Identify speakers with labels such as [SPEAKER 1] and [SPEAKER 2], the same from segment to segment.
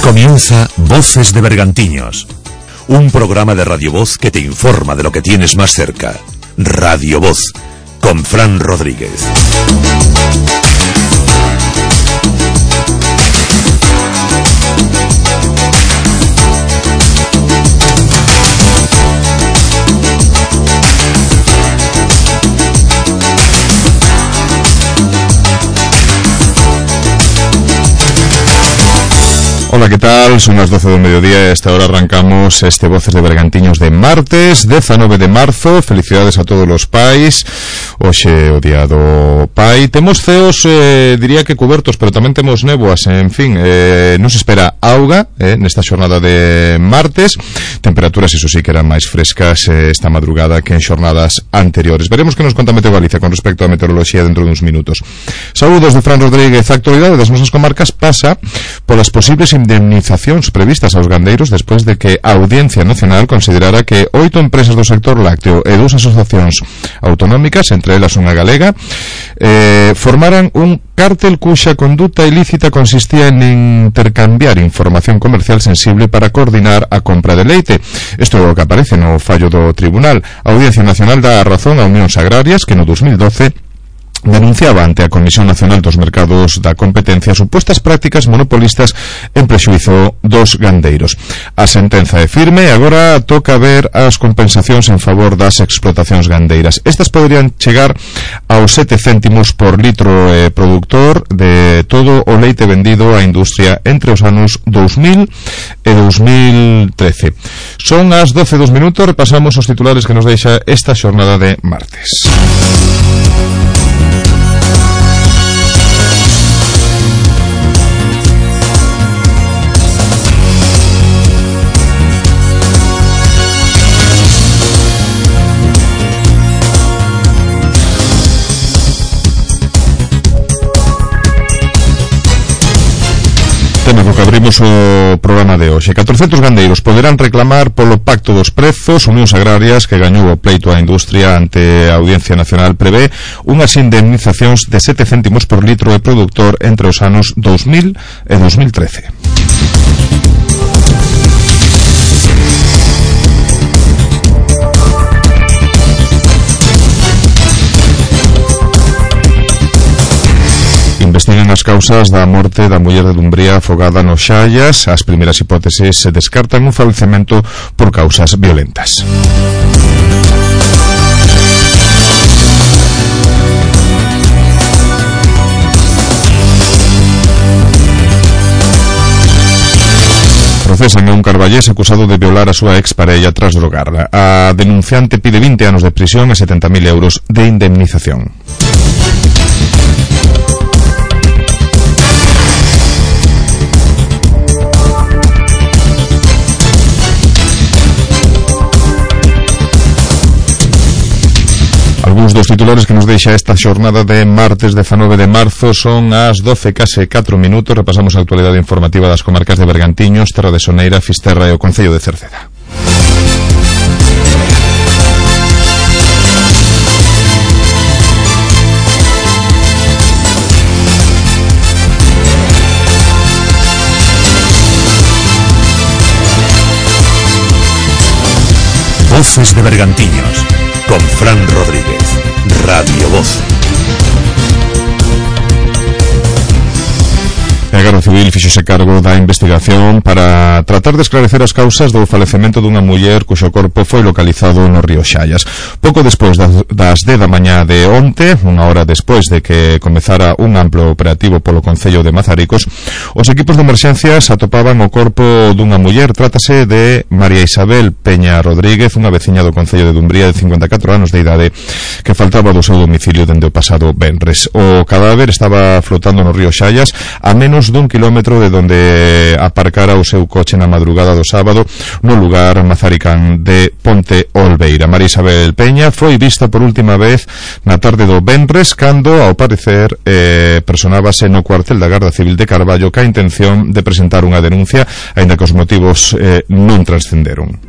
[SPEAKER 1] comienza Voces de Bergantiños, un programa de Radio Voz que te informa de lo que tienes más cerca. Radio Voz, con Fran Rodríguez.
[SPEAKER 2] Hola, ¿qué tal? Son las 12 del mediodía e a esta hora arrancamos este Voces de Bergantiños de martes, 19 de marzo. Felicidades a todos os pais. Hoxe o día do pai. Temos ceos, diría que cubertos, pero tamén temos néboas. En fin, nos espera auga nesta xornada de martes. Temperaturas, iso sí, que eran máis frescas esta madrugada que en xornadas anteriores. Veremos que nos conta Meteo Galicia con respecto á meteoroloxía dentro de uns minutos. Saúdos de Fran Rodríguez. A actualidade das nosas comarcas pasa polas posibles indemnizacións previstas aos gandeiros despois de que a Audiencia Nacional considerara que 8 empresas do sector lácteo e 2 asociacións autonómicas, entre elas unha galega, formaran un cártel cuxa conduta ilícita consistía en intercambiar información comercial sensible para coordinar a compra de leite. Isto é o que aparece no fallo do Tribunal. A Audiencia Nacional dá a razón a Unións Agrarias que no 2012 denunciaba ante a Comisión Nacional dos Mercados da Competencia supostas prácticas monopolistas en prexuízo dos gandeiros. A sentenza é firme e agora toca ver as compensacións en favor das explotacións gandeiras. Estas poderían chegar aos 7 céntimos por litro productor de todo o leite vendido á industria entre os anos 2000 e 2013. Son as 12:02, repasamos os titulares que nos deixa esta xornada de martes. Temos o que abrimos o programa de hoxe. 400 gandeiros poderán reclamar polo pacto dos prezos. Unións Agrarias, que gañou o pleito á industria ante a Audiencia Nacional, prevé unhas indemnizacións de 7 céntimos por litro de productor entre os anos 2000 e 2013. Investigan as causas da morte da muller de Dumbría afogada no Xallas. As primeiras hipóteses se descartan un falecemento por causas violentas. Procesan a un carballés acusado de violar a súa exparella tras drogarla. A denunciante pide 20 anos de prisión e 70.000 euros de indemnización. Algúns dos titulares que nos deixa esta xornada de martes 19 de marzo. Son as 12 case 4 minutos. Repasamos a actualidade informativa das comarcas de Bergantiños, Terra de Soneira, Fisterra e o Concello de Cerceda.
[SPEAKER 1] Voces de Bergantiños, con Fran Rodríguez. Radio Voz.
[SPEAKER 2] A Garda Civil fíxose cargo da investigación para tratar de esclarecer as causas do falecemento dunha muller cuxo corpo foi localizado no río Xallas. Pouco despois das 10 da mañá de onte, unha hora despois de que comezara un amplo operativo polo Concello de Mazaricos, os equipos de emerxencias atopaban o corpo dunha muller. Trátase de María Isabel Peña Rodríguez, unha veciña do Concello de Dumbría de 54 anos de idade que faltaba do seu domicilio dende o pasado venres. O cadáver estaba flotando no río Xallas a menos dun kilómetro de donde aparcara o seu coche na madrugada do sábado no lugar mazaricán de Ponte Olveira. María Isabel Peña foi vista por última vez na tarde do venres cando, ao parecer, personábase no cuartel da Garda Civil de Carballo ca intención de presentar unha denuncia, aínda que os motivos non transcenderon.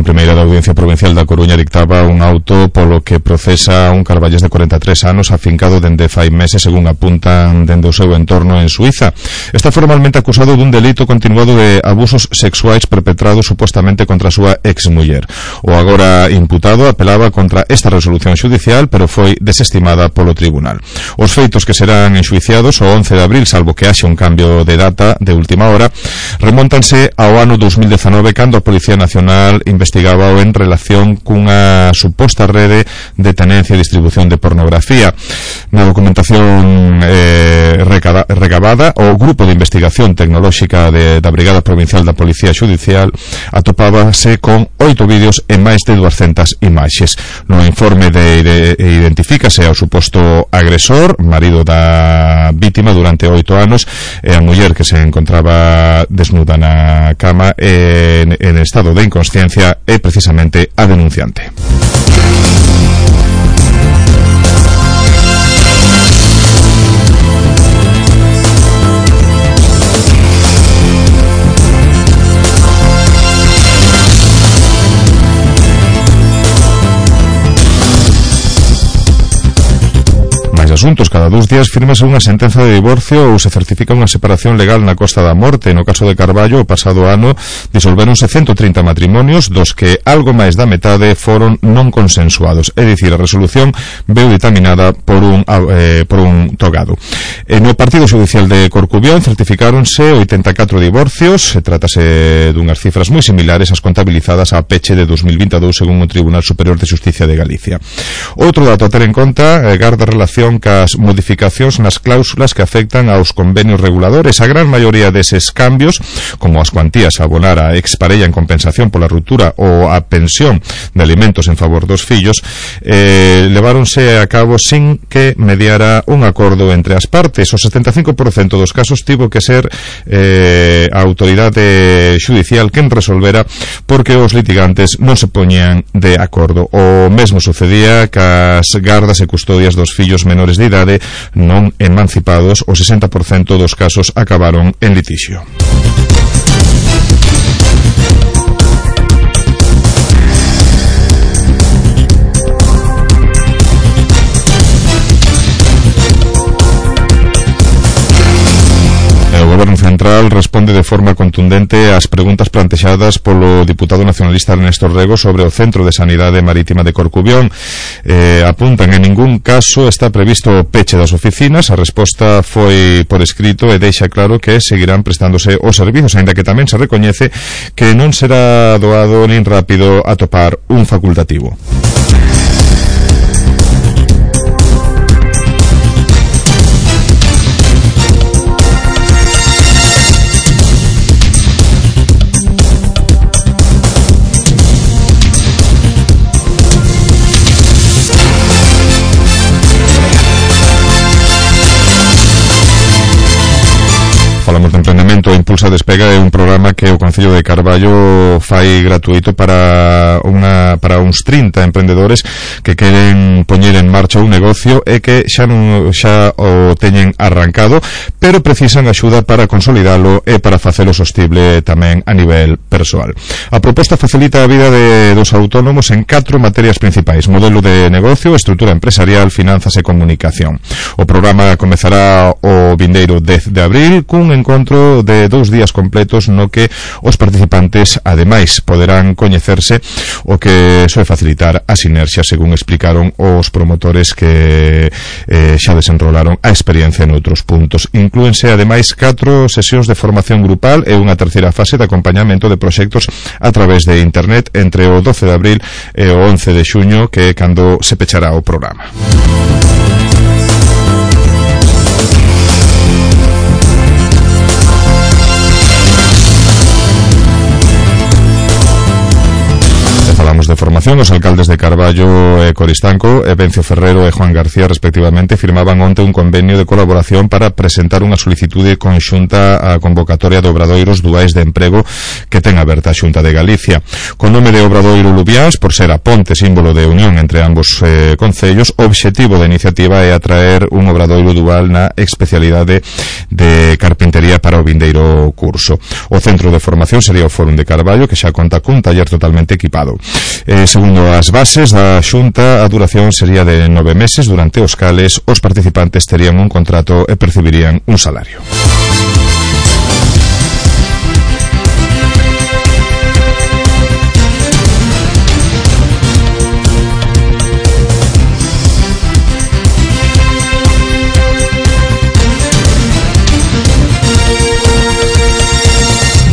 [SPEAKER 2] primeira da Audiencia Provincial da Coruña dictaba un auto polo que procesa un carballés de 43 anos afincado dende fai meses, según apuntan dende o seu entorno en Suiza. Está formalmente acusado dun delito continuado de abusos sexuais perpetrados supostamente contra a súa exmuller. O agora imputado apelaba contra esta resolución xudicial, pero foi desestimada polo tribunal. Os feitos que serán enxuiciados o 11 de abril, salvo que haxe un cambio de data de última hora, remóntanse ao ano 2019, cando a Policía Nacional investigaba en relación cunha suposta rede de tenencia e distribución de pornografía. Na documentación recabada, o Grupo de Investigación Tecnolóxica da Brigada Provincial da Policía Xudicial atopábase con 8 vídeos e máis de 200 imaxes. No informe identifícase ao suposto agresor, marido da vítima durante 8 anos, e a muller que se encontraba desnuda na cama en estado de inconsciencia é precisamente a denunciante. Asuntos. Cada 2 días fírmase unha sentenza de divorcio ou se certifica unha separación legal na Costa da Morte. No caso de Carballo, o pasado ano disolvéronse 130 matrimonios, dos que algo máis da metade foron non consensuados, é dicir, a resolución veu dictaminada por un togado. No partido xudicial de Corcubión certificáronse 84 divorcios. Se trátase dunhas cifras moi similares ás contabilizadas a peche de 2022 según o Tribunal Superior de Xusticia de Galicia. Outro dato a ter en conta garda relación as modificacións nas cláusulas que afectan aos convenios reguladores. A gran maioría deses cambios, como as cuantías a abonar a exparella en compensación pola ruptura ou a pensión de alimentos en favor dos fillos, leváronse a cabo sin que mediara un acordo entre as partes. O 75% dos casos tivo que ser a autoridade xudicial quen resolvera, porque os litigantes non se poñían de acordo. O mesmo sucedía cas gardas e custodias dos fillos menores de idade non emancipados. O 60% dos casos acabaron en litixio. O Goberno Central responde de forma contundente ás preguntas plantexadas polo diputado nacionalista Ernesto Rego sobre o Centro de Sanidade Marítima de Corcubión. Apuntan en ningún caso está previsto o peche das oficinas. A resposta foi por escrito e deixa claro que seguirán prestándose os servizos, aínda que tamén se recoñece que non será doado nin rápido atopar un facultativo. Falamos de emprendemento. Impulsa Despega é un programa que o Concello de Carballo fai gratuito para uns 30 emprendedores que queren poñer en marcha un negocio e que xa o teñen arrancado, pero precisan axuda para consolidalo e para facelo sostible tamén a nivel persoal. A proposta facilita a vida dos autónomos en 4 materias principais: modelo de negocio, estrutura empresarial, finanzas e comunicación. O programa comezará o vindeiro 10 de abril cun encontro de 2 días completos no que os participantes ademais poderán coñecerse, o que soe facilitar a sinerxia, según explicaron os promotores que xa desenrolaron a experiencia en outros puntos. Inclúense ademais 4 sesións de formación grupal e unha terceira fase de acompañamento de proxectos a través de internet entre o 12 de abril e o 11 de xuño, que é cando se pechará o programa. falamos de formación. Os alcaldes de Carballo e Coristanco, Evencio Ferrero e Juan García, respectivamente, firmaban onte un convenio de colaboración para presentar unha solicitude conxunta á convocatoria de obradoiros duais de emprego que ten aberta a Xunta de Galicia. Con nome de Obradoiro Lubiáns, por ser a ponte símbolo de unión entre ambos concellos, o obxectivo da iniciativa é atraer un obradoiro dual na especialidade de carpintería para o vindeiro curso. O centro de formación sería o Fórum de Carballo, que xa conta cun taller totalmente equipado. Segundo as bases da Xunta, a duración sería de 9 meses, durante os cales os participantes terían un contrato e percibirían un salario.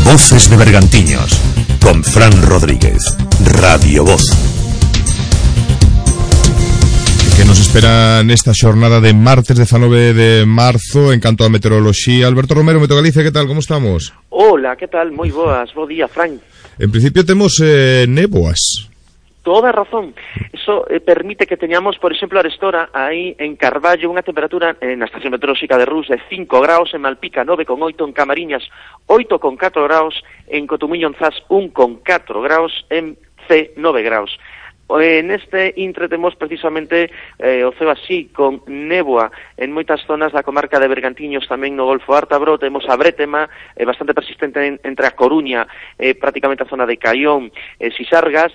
[SPEAKER 1] Voces de Bergantiños, con Fran Rodríguez, Radio Voz.
[SPEAKER 2] Que nos espera nesta xornada de martes 19 de marzo en canto a meteoroloxía? Alberto Romero, Meto Galicia, que tal, como estamos?
[SPEAKER 3] Hola, que tal, moi boas, bo día, Fran.
[SPEAKER 2] En principio temos néboas.
[SPEAKER 3] Toda razón. Eso permite que teñamos, por exemplo, arestora aí en Carballo unha temperatura na estación meteorolóxica de Rus de 5 graus, en Malpica 9,8, en Camariñas 8,4 graus, en Cotumiño en Zas 1,4 graus, en C 9 graus. Neste intre temos precisamente o ceo así con néboa en moitas zonas da comarca de Bergantiños, tamén no Golfo Ártabro. Temos a brétema bastante persistente entre a Coruña, prácticamente a zona de Caión, Sisargas.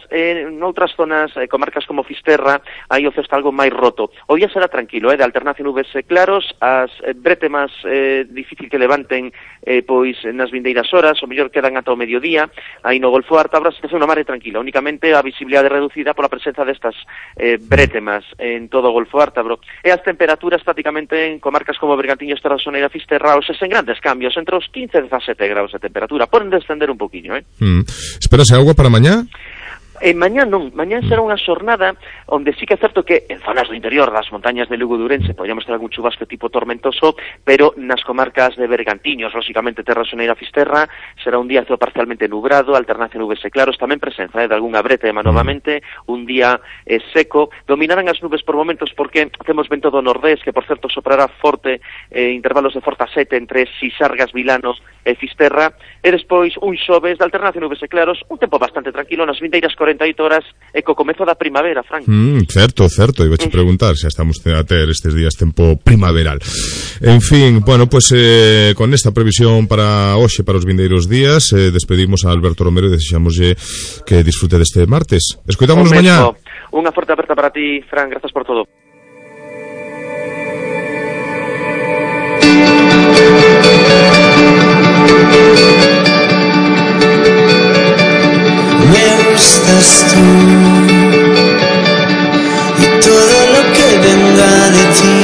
[SPEAKER 3] Noutras zonas, comarcas como Fisterra, aí o ceo está algo máis roto. O día será tranquilo, de alternancia nubes claros, as brétemas difícil que levanten pois nas vindeiras horas, o mellor quedan ata o mediodía. Aí no Golfo Ártabro a situación na mar é tranquila, únicamente a visibilidade reducida pola presenza destas brétemas en todo o Golfo Ártabro. E as temperaturas prácticamente en comarcas como Bergantiños, Terra Soneira, Fisterra, sen grandes cambios, entre os 15 e 17 graus de temperatura. Poden descender un poquinho,
[SPEAKER 2] Esperase agua para mañá?
[SPEAKER 3] Mañá non, mañá será unha xornada onde sí que é certo que en zonas do interior das montañas de Lugo e Ourense podríamos ter algún chubasco tipo tormentoso, pero nas comarcas de Bergantiños, lógicamente Terra Soneira, Fisterra, será un día parcialmente nublado, alternancia nubes e claros, tamén presenza de algunha brétema novamente, un día seco. Dominarán as nubes por momentos porque temos vento do nordés, que por certo soprará forte, intervalos de forza 7 entre Sisargas, Vilanos e Fisterra, e despois un xoves de alternancia nubes e claros, un tempo bastante tranquilo nas vindeiras 48 horas e co comezo da primavera, Frank.
[SPEAKER 2] Certo, iba a preguntar se estamos a ter estes días tempo primaveral. En fin, bueno, pues con esta previsión para hoxe, para os vindeiros días, despedimos a Alberto Romero e desexamoslle que disfrute deste martes. Escoitámonos mañá.
[SPEAKER 3] Unha forte aperta para ti, Fran, grazas por todo.
[SPEAKER 4] Estás tú y todo lo que venga de ti,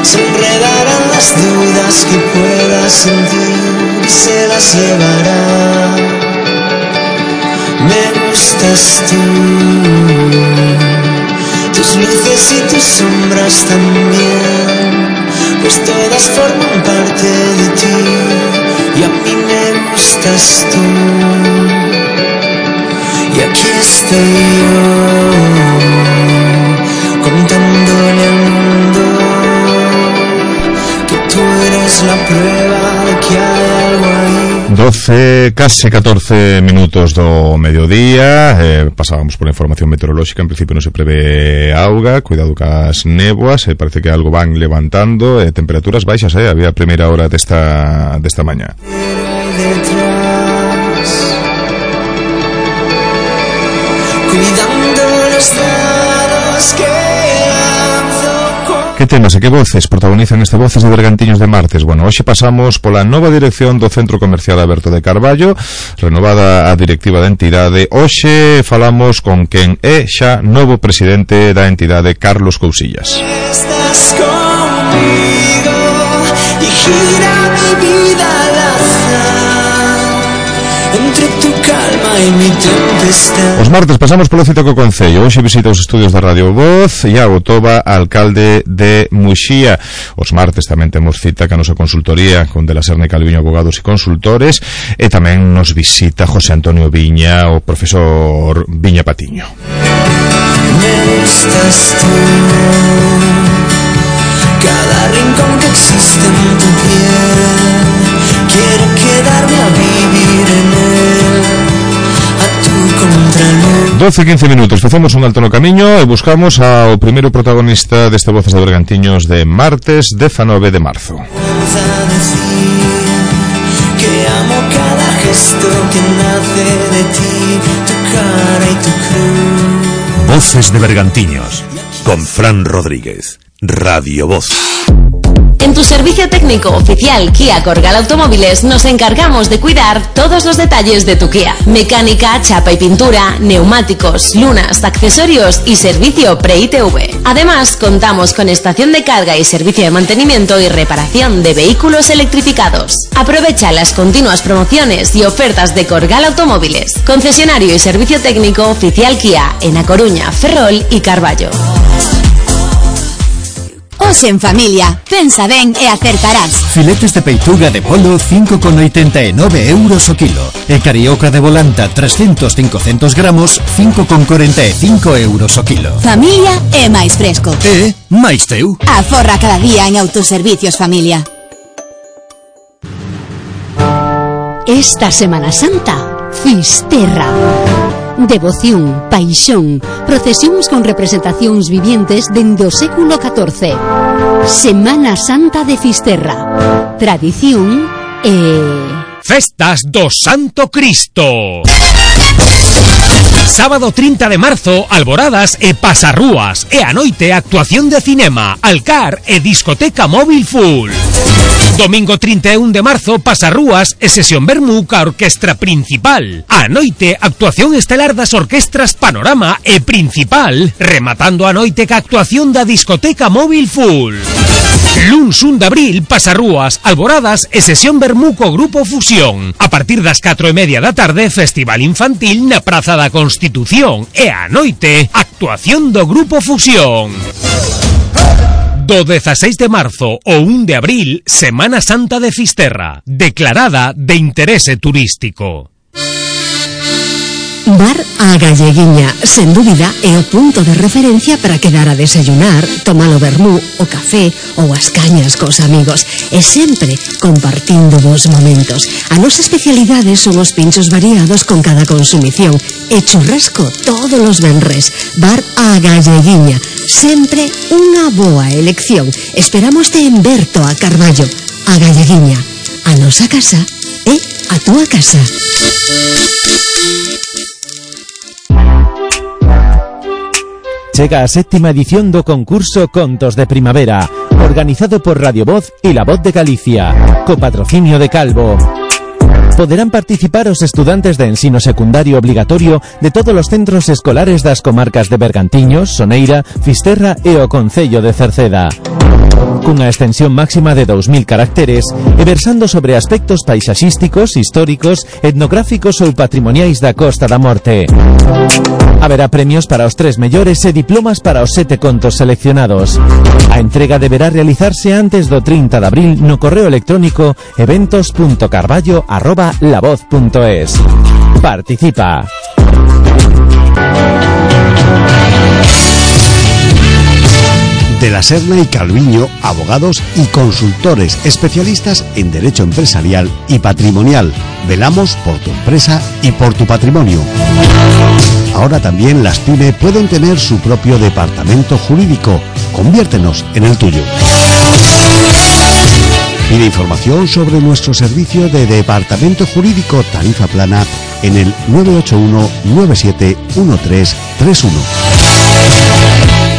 [SPEAKER 4] se enredarán las dudas que puedas sentir y se las llevará. Me gustas tú, tus luces y tus sombras también, pues todas forman parte de ti y a mí me gustas tú. Y aquí estoy yo, contándole al mundo que tú eres la prueba de que hay algo ahí.
[SPEAKER 2] 12, case 14 minutos do mediodía. Pasábamos por a información meteorolóxica. En principio non se prevé auga, cuidado cas néboas, parece que algo van levantando, temperaturas baixas, había a primeira hora desta mañá. Que temas e que voces protagonizan este Voces de Bergantiños de martes? Bueno, hoxe pasamos pola nova dirección do Centro Comercial Aberto de Carballo, renovada a directiva da entidade. Hoxe falamos con quen é xa novo presidente da entidade, Carlos Cousillas. Estás conmigo y gira mi vida al azar, entre tu calma
[SPEAKER 4] hay mi tempestad.
[SPEAKER 2] Os martes pasamos polo cita co Concello. Hoxe visita os estudios da Radio Voz Iago Toba, alcalde de Muxía. Os martes tamén temos cita ca nosa consultoría con De la Serna e Calviño Abogados e Consultores, e tamén nos visita José Antonio Viña, o profesor Viña Patiño.
[SPEAKER 4] Me gustas tú, cada rincón que existe en tu piel, quiero quedarme a vivir en él, a tu contraluz.
[SPEAKER 2] 12-15 minutos, facemos un alto no camiño e buscamos ao primeiro protagonista deste Voces de Bergantiños de martes 19 de marzo.
[SPEAKER 4] Vamos a decir que amo cada gesto que nace de ti, tu cara y tu cruz.
[SPEAKER 1] Voces de Bergantiños, con Fran Rodríguez, Radio Voz.
[SPEAKER 5] En tu servicio técnico oficial Kia Corgal Automóviles nos encargamos de cuidar todos los detalles de tu Kia. Mecánica, chapa y pintura, neumáticos, lunas, accesorios y servicio pre-ITV. Además, contamos con estación de carga y servicio de mantenimiento y reparación de vehículos electrificados. Aprovecha las continuas promociones y ofertas de Corgal Automóviles, concesionario y servicio técnico oficial Kia en A Coruña, Ferrol y Carballo.
[SPEAKER 6] Hoxe en familia, pensa ben e acertarás.
[SPEAKER 7] Filetes de peituga de polo 5,89 euros o kilo. E carioca de volanta 300-500 gramos 5,45 euros o kilo.
[SPEAKER 6] Familia é máis fresco.
[SPEAKER 7] E máis teu.
[SPEAKER 6] Aforra cada día en Autoservicios Familia.
[SPEAKER 8] Esta Semana Santa, Fisterra. Devoción, paixón, procesións con representacións vivientes dende o século XIV. Semana Santa de Fisterra. Tradición e...
[SPEAKER 9] Festas do Santo Cristo. Sábado 30 de marzo, alboradas e pasarrúas, e a noite actuación de cinema, alcar e discoteca móvil full. Domingo 31 de marzo, pasarrúas e sesión vermú ca orquestra principal. A noite, actuación estelar das orquestras Panorama e Principal, rematando a noite ca actuación da discoteca móvil full. Luns 1 de abril, pasarrúas, alboradas e sesión vermú co Grupo Fusión. A partir das 4:30 da tarde, festival infantil na Praza da Constitución. E a noite, actuación do Grupo Fusión. Do 16 de marzo ao 1 de abril, Semana Santa de Fisterra, declarada de interese turístico.
[SPEAKER 8] Bar A Galleguiña, sen dúbida, é o punto de referencia para quedar a desayunar, tomar o vermú, o café ou as cañas cos amigos, e sempre compartindo bons momentos. A nosa especialidade son os pinchos variados con cada consumición e churrasco todos os venres. Bar A Galleguiña, sempre unha boa elección. Esperámoste en Berto a Carballo. A Galleguiña, a nosa casa é a túa casa.
[SPEAKER 10] Chega a 7ª edición do concurso Contos de Primavera, organizado por Radio Voz e La Voz de Galicia, co patrocinio de Calvo. Poderán participar os estudantes de ensino secundario obligatorio de todos os centros escolares das comarcas de Bergantiños, Soneira, Fisterra e o Concello de Cerceda. Cunha extensión máxima de 2000 caracteres e versando sobre aspectos paisaxísticos, históricos, etnográficos ou patrimoniais da Costa da Morte. Haberá premios para os 3 mellores e diplomas para os 7 contos seleccionados. A entrega deberá realizarse antes do 30 de abril no correo electrónico eventos.carballo@lavoz.es. Participa.
[SPEAKER 11] De la Serna y Calviño, abogados y consultores especialistas en derecho empresarial y patrimonial. Velamos por tu empresa y por tu patrimonio. Ahora también las PYME pueden tener su propio departamento jurídico. Conviértenos en el tuyo. Pide información sobre nuestro servicio de departamento jurídico tarifa plana en el 981-971331.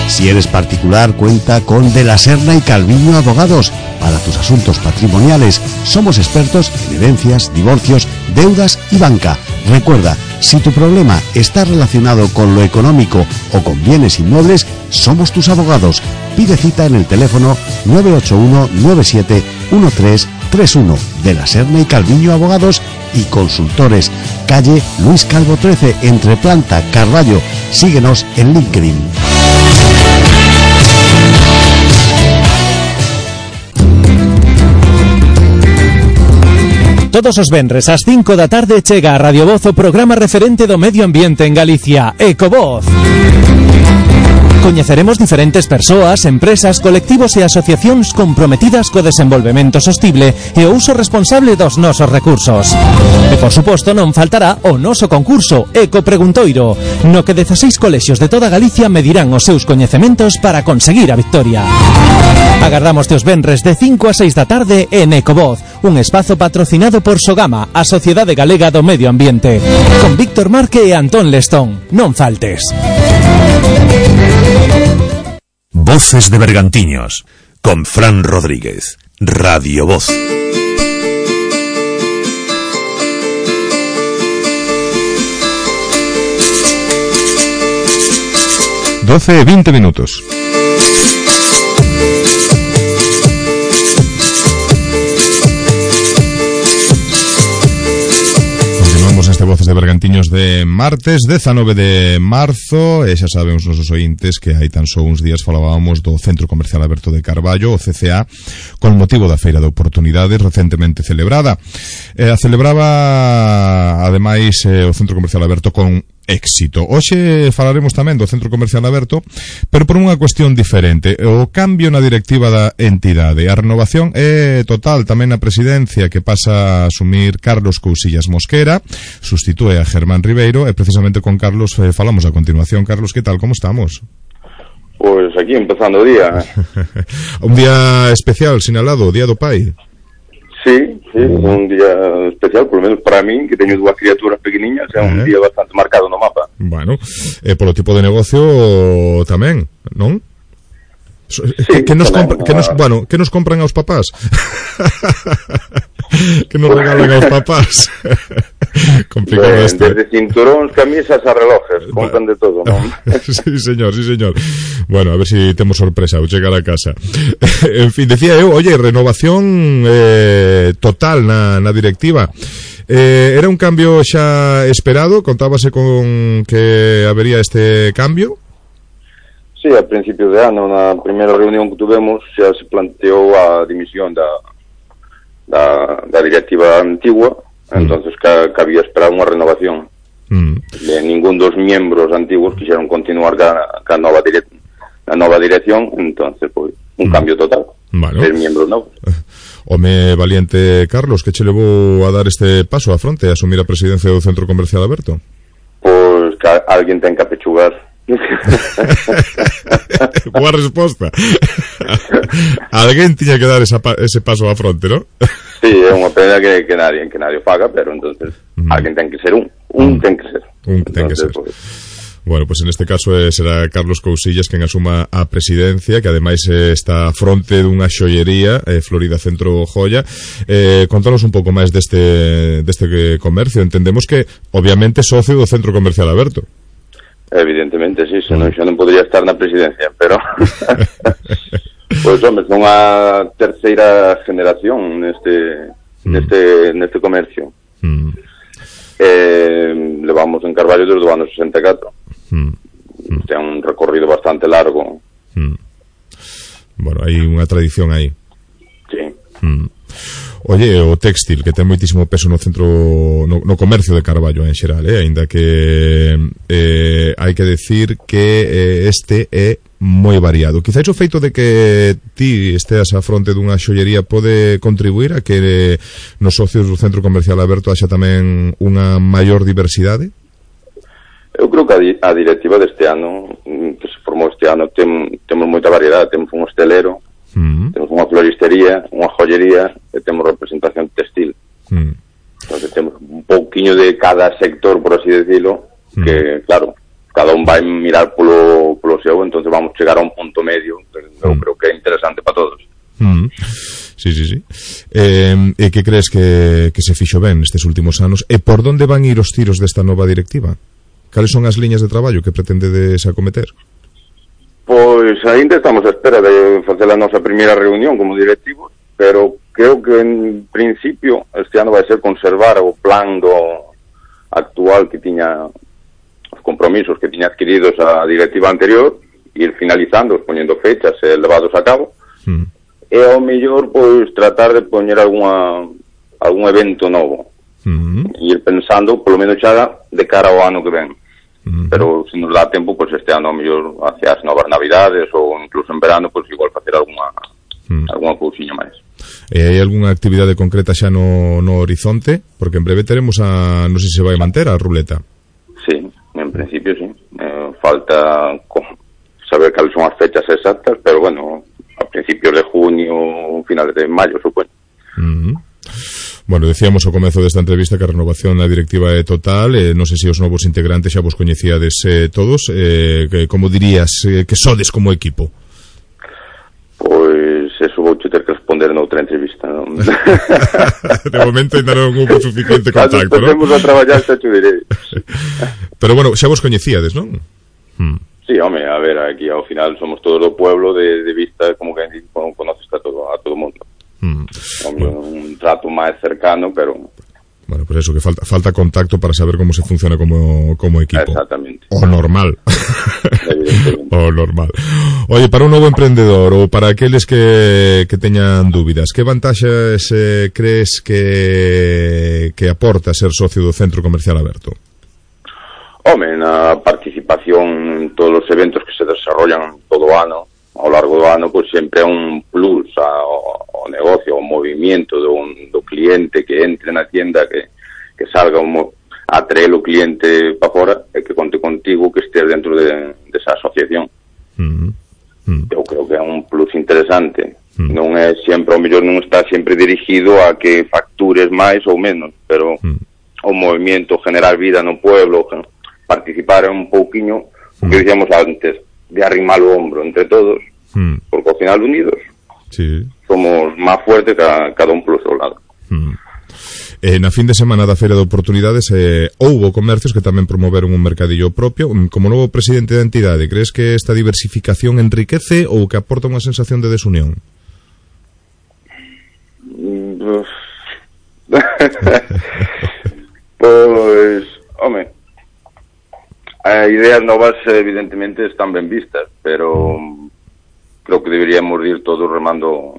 [SPEAKER 11] Si eres particular, cuenta con De la Serna y Calviño Abogados. Para tus asuntos patrimoniales, somos expertos en herencias, divorcios, deudas y banca. Recuerda, si tu problema está relacionado con lo económico o con bienes inmuebles, somos tus abogados. Pide cita en el teléfono 981-971331. De la Serna y Calviño Abogados y consultores, calle Luis Calvo 13, entre Planta, Carballo. Síguenos en LinkedIn.
[SPEAKER 10] Todos os venres ás 5 da tarde chega a Radio Voz o programa referente do medio ambiente en Galicia, Ecovoz. Coñeceremos diferentes persoas, empresas, colectivos e asociacións comprometidas co desenvolvemento sostible e o uso responsable dos nosos recursos. E, por suposto, non faltará o noso concurso Ecopreguntoiro, no que 16 colexios de toda Galicia medirán os seus coñecementos para conseguir a victoria. Agardamos os venres de 5 a 6 da tarde en Ecovoz, un espazo patrocinado por Sogama, a Sociedade Galega do Medio Ambiente, con Víctor Marque e Antón Lestón. Non faltes.
[SPEAKER 1] Voces de Bergantiños, con Fran Rodríguez, Radio Voz.
[SPEAKER 2] Doce 20 minutos. Este Voces de Bergantiños de martes 19 de marzo e xa saben os nosos ointes que hai tan só uns días falábamos do Centro Comercial Aberto de Carballo, o CCA, con motivo da Feira de Oportunidades recentemente celebrada. A celebraba ademais o Centro Comercial Aberto con éxito. Hoxe falaremos tamén do Centro Comercial Aberto, pero por unha cuestión diferente. O cambio na directiva da entidade. A renovación é total tamén na presidencia, que pasa a asumir Carlos Cousillas Mosquera, sustitúe a Germán Ribeiro, e precisamente con Carlos falamos a continuación. Carlos, que tal? Como estamos?
[SPEAKER 12] Pois aquí empezando o día.
[SPEAKER 2] Un día especial, sinalado, o Día do Pai.
[SPEAKER 12] Sí, un día especial, por lo menos para mí, que teño dúas criaturas pequeniñas, é un día bastante marcado no mapa.
[SPEAKER 2] Bueno, polo tipo de negocio tamén, non?
[SPEAKER 12] Sí,
[SPEAKER 2] que nos compran aos papás? Que nos regalan aos papás? Complicado esto.
[SPEAKER 12] Desde cinturóns, camisas a relojes, compran de todo, non?
[SPEAKER 2] Sí, señor. Bueno, a ver si temos sorpresa ao chegar a casa. En fin, decía eu, oye, renovación total na directiva. Era un cambio xa esperado? Contábase con que habería este cambio?
[SPEAKER 12] Sí, a principios de ano, na primeira reunión que tuvemos, xa se planteou a dimisión da directiva antigua, entonces cabía esperar unha renovación. Ningún dos miembros antiguos quixeron continuar ca nova dirección, entonces, pois, un cambio total.
[SPEAKER 2] Bueno.
[SPEAKER 12] Ser miembros novos.
[SPEAKER 2] Home valiente, Carlos, que che levou a dar este paso a fronte, a asumir a presidencia do Centro Comercial Aberto?
[SPEAKER 12] Pois que alguén ten que apechugar.
[SPEAKER 2] Boa resposta. Alguén tiña que dar ese paso a fronte, ¿no?
[SPEAKER 12] Sí, é unha pena que nadie o faga, pero entonces alguén ten que ser un ten que ser.
[SPEAKER 2] Pues... Bueno, pues en este caso será Carlos Cousillas quen asuma a presidencia, que ademais está a fronte dunha xoiería, Florida Centro Joya. Contanos un pouco máis deste comercio. Entendemos que, obviamente, socio do Centro Comercial Aberto.
[SPEAKER 12] Evidentemente, sí, senón xa non podría estar na presidencia, pero pois, home, son a terceira generación neste comercio. Levamos en Carballo desde o ano 64. Ten un recorrido bastante largo.
[SPEAKER 2] Bueno, hai unha tradición aí.
[SPEAKER 12] Sí.
[SPEAKER 2] Oye, o téxtil, que ten moitísimo peso no centro, no comercio de Carballo en xeral, aínda que hai que decir que este é moi variado. Quizáis o feito de que ti esteas a fronte dunha xollería pode contribuir a que nos socios do Centro Comercial Aberto haxa tamén unha maior diversidade?
[SPEAKER 12] Eu creo que a directiva deste ano, que se formou este ano, temos moita variedade. Temos un hostelero, temos unha floristería, unha joyería, e temos representación textil. Entonces temos un pouquiño de cada sector, por así decirlo, que, claro, cada un vai mirar polo seu, entonces vamos chegar a un punto medio que eu creo que é interesante para todos.
[SPEAKER 2] Sí. E que crees que se fixo ben nestes últimos anos? E por onde van ir os tiros desta nova directiva? Cales son as liñas de traballo que pretendedes acometer?
[SPEAKER 12] Pois ainda estamos a espera de facer a nosa primeira reunión como directivos, pero creo que en principio este ano vai ser conservar o plan actual que tiña, os compromisos que tiña adquiridos a directiva anterior, ir finalizando, poñendo fechas e levados a cabo, e ao mellor pois tratar de poñer algún evento novo, ir pensando polo menos xa de cara ao ano que ven. Pero se nos dá tempo, pois este ano ao mellor hacia as novas navidades ou incluso en verano, pois igual facer algunha cousiña máis.
[SPEAKER 2] E hai algunha actividade concreta xa no horizonte? Porque en breve teremos non sei se vai manter a ruleta.
[SPEAKER 12] Sí, en principio sí. Falta saber cales son as fechas exactas, pero bueno, a principios de junio, finales de maio, supoño.
[SPEAKER 2] Bueno, decíamos ao comezo desta entrevista que a renovación da directiva é total, non sei se os novos integrantes xa vos coñecíades todos, como dirías que sodes como equipo?
[SPEAKER 12] Pois eso vou ter que responder noutra entrevista, non?
[SPEAKER 2] De momento ainda non houve suficiente contacto, non?
[SPEAKER 12] Temos a traballar, xa te direi.
[SPEAKER 2] Pero bueno, xa vos coñecíades, non?
[SPEAKER 12] Sí, home, a ver, aquí ao final somos todos do pueblo, de vista como que conoces a todo o mundo. Un trato máis cercano, pero...
[SPEAKER 2] Bueno, pues eso, que falta contacto para saber como se funciona como equipo.
[SPEAKER 12] Exactamente.
[SPEAKER 2] O normal. O normal. Oye, para un novo emprendedor ou para aqueles que teñan dúbidas, que vantaxes crees que aporta ser socio do Centro Comercial Aberto?
[SPEAKER 12] Home, na participación en todos os eventos que se desarrollan todo o ano, ao largo do ano, pois sempre é un plus ao negocio, ao movimento do cliente que entre na tienda, que salga a traer o cliente para fora e que conte contigo, que estés dentro desa asociación. Eu creo que é un plus interesante. Non é sempre, ao mellor non está sempre dirigido a que factures máis ou menos, pero o movimento, generar vida no pueblo, participar un pouquiño, o que dicíamos antes, de arrimar o hombro entre todos, porque ao final unidos somos máis fuertes cada un polo seu lado.
[SPEAKER 2] Na fin de semana da Feira de Oportunidades houbo comercios que tamén promoveron un mercadillo propio. Como novo presidente da entidade, crees que esta diversificación enriquece ou que aporta unha sensación de desunión?
[SPEAKER 12] Pois, home, as ideas novas evidentemente están ben vistas, pero creo que deberíamos ir todos remando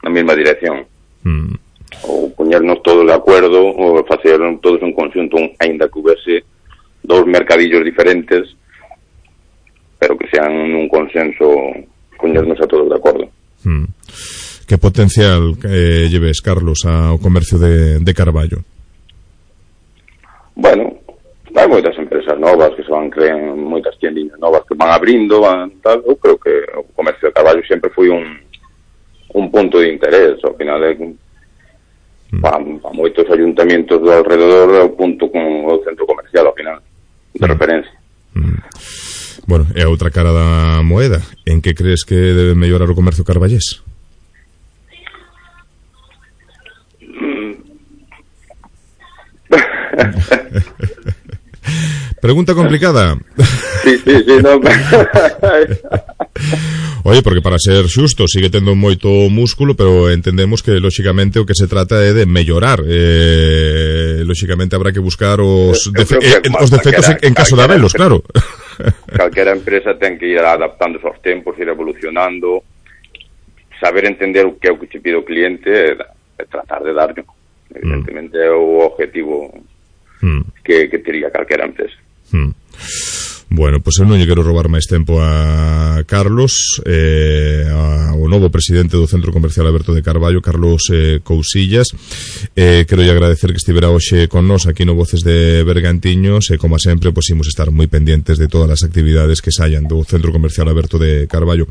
[SPEAKER 12] na mesma dirección. Ou poñernos todos de acordo, ou facer todos un conxunto, aínda que houvese dous mercadillos diferentes, pero que sean un consenso, poñernos a todos de acordo.
[SPEAKER 2] Que potencial lleves, Carlos, ao comercio de Carballo?
[SPEAKER 12] Bueno, hai moitas empresas novas que se van creando, moitas tiendiñas novas que van abrindo, tal. Eu creo que o comercio de Carballo sempre foi un punto de interés. Ao final para moitos ayuntamientos do alrededor é o punto con o centro comercial, ao final, de referencia.
[SPEAKER 2] Bueno, e a outra cara da moeda, en que crees que debe mellorar o comercio carballés? Pregunta complicada.
[SPEAKER 12] Sí, no.
[SPEAKER 2] Oye, porque para ser xusto sigue tendo moito músculo, pero entendemos que lóxicamente o que se trata é de mellorar. Lóxicamente habrá que buscar os defectos en caso de habelos, claro.
[SPEAKER 12] Calquera empresa ten que ir adaptándose aos tempos, ir evolucionando, saber entender o que é o que che pide o cliente e tratar de darlo. Evidentemente é o objetivo que tería calquera empresa.
[SPEAKER 2] Bueno, pois eu non lle quero roubar máis tempo a Carlos, ao novo presidente do Centro Comercial Aberto de Carballo, Carlos Cousillas. Quero lle agradecer que estivera hoxe con nós aquí no Voces de Bergantiños e, como sempre, pois imos estar moi pendientes de todas as actividades que saian do Centro Comercial Aberto de Carballo.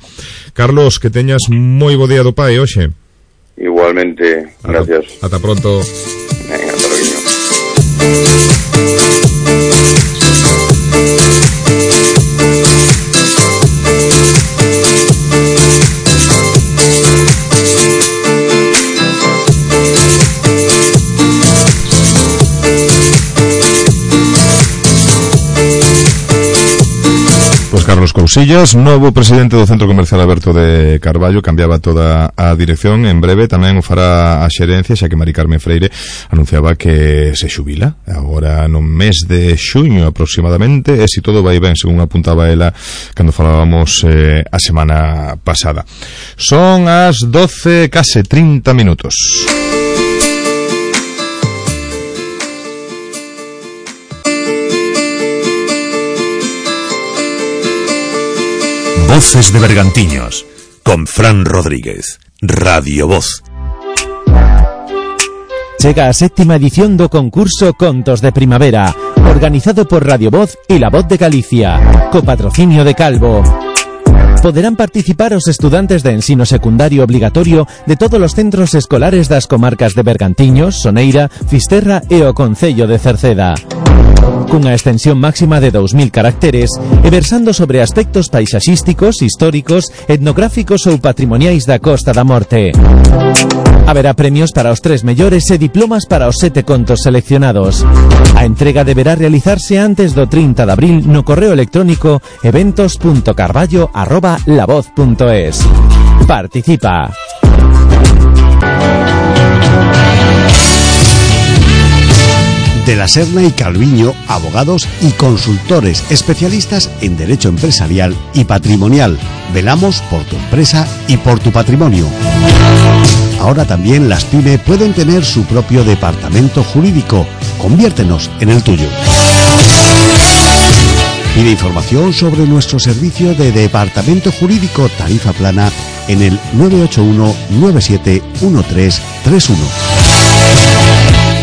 [SPEAKER 2] Carlos, que teñas moi bo día do pai hoxe.
[SPEAKER 12] Igualmente, gracias.
[SPEAKER 2] Ata pronto.
[SPEAKER 12] Venga, hasta luego.
[SPEAKER 2] os cousillas. Novo presidente do Centro Comercial Aberto de Carballo, cambiaba toda a dirección. En breve tamén o fará a xerencia, xa que Mari Carmen Freire anunciaba que se xubila agora no mes de xuño aproximadamente, e se todo vai ben, según apuntaba ela cando falábamos a semana pasada. Son as 12, case 30 minutos.
[SPEAKER 1] Voces de Bergantiños, con Fran Rodríguez, Radio Voz.
[SPEAKER 10] Chega a séptima edición do concurso Contos de Primavera, organizado por Radio Voz y La Voz de Galicia, copatrocinio de Calvo. Poderán participar os estudantes de ensino secundario obligatorio de todos os centros escolares das comarcas de Bergantiños, Soneira, Fisterra e o Concello de Cerceda. Cunha extensión máxima de 2000 caracteres e versando sobre aspectos paisaxísticos, históricos, etnográficos ou patrimoniais da Costa da Morte. Haberá premios para os 3 mellores e diplomas para os 7 contos seleccionados. A entrega deberá realizarse antes do 30 de abril no correo electrónico eventos.carballo@lavoz.es. Participa.
[SPEAKER 11] De la Serna y Calviño, abogados y consultores especialistas en derecho empresarial y patrimonial. Velamos por tu empresa y por tu patrimonio. Ahora también las PYME pueden tener su propio departamento jurídico. Conviértenos en el tuyo. Pide información sobre nuestro servicio de departamento jurídico tarifa plana en el 981-971331.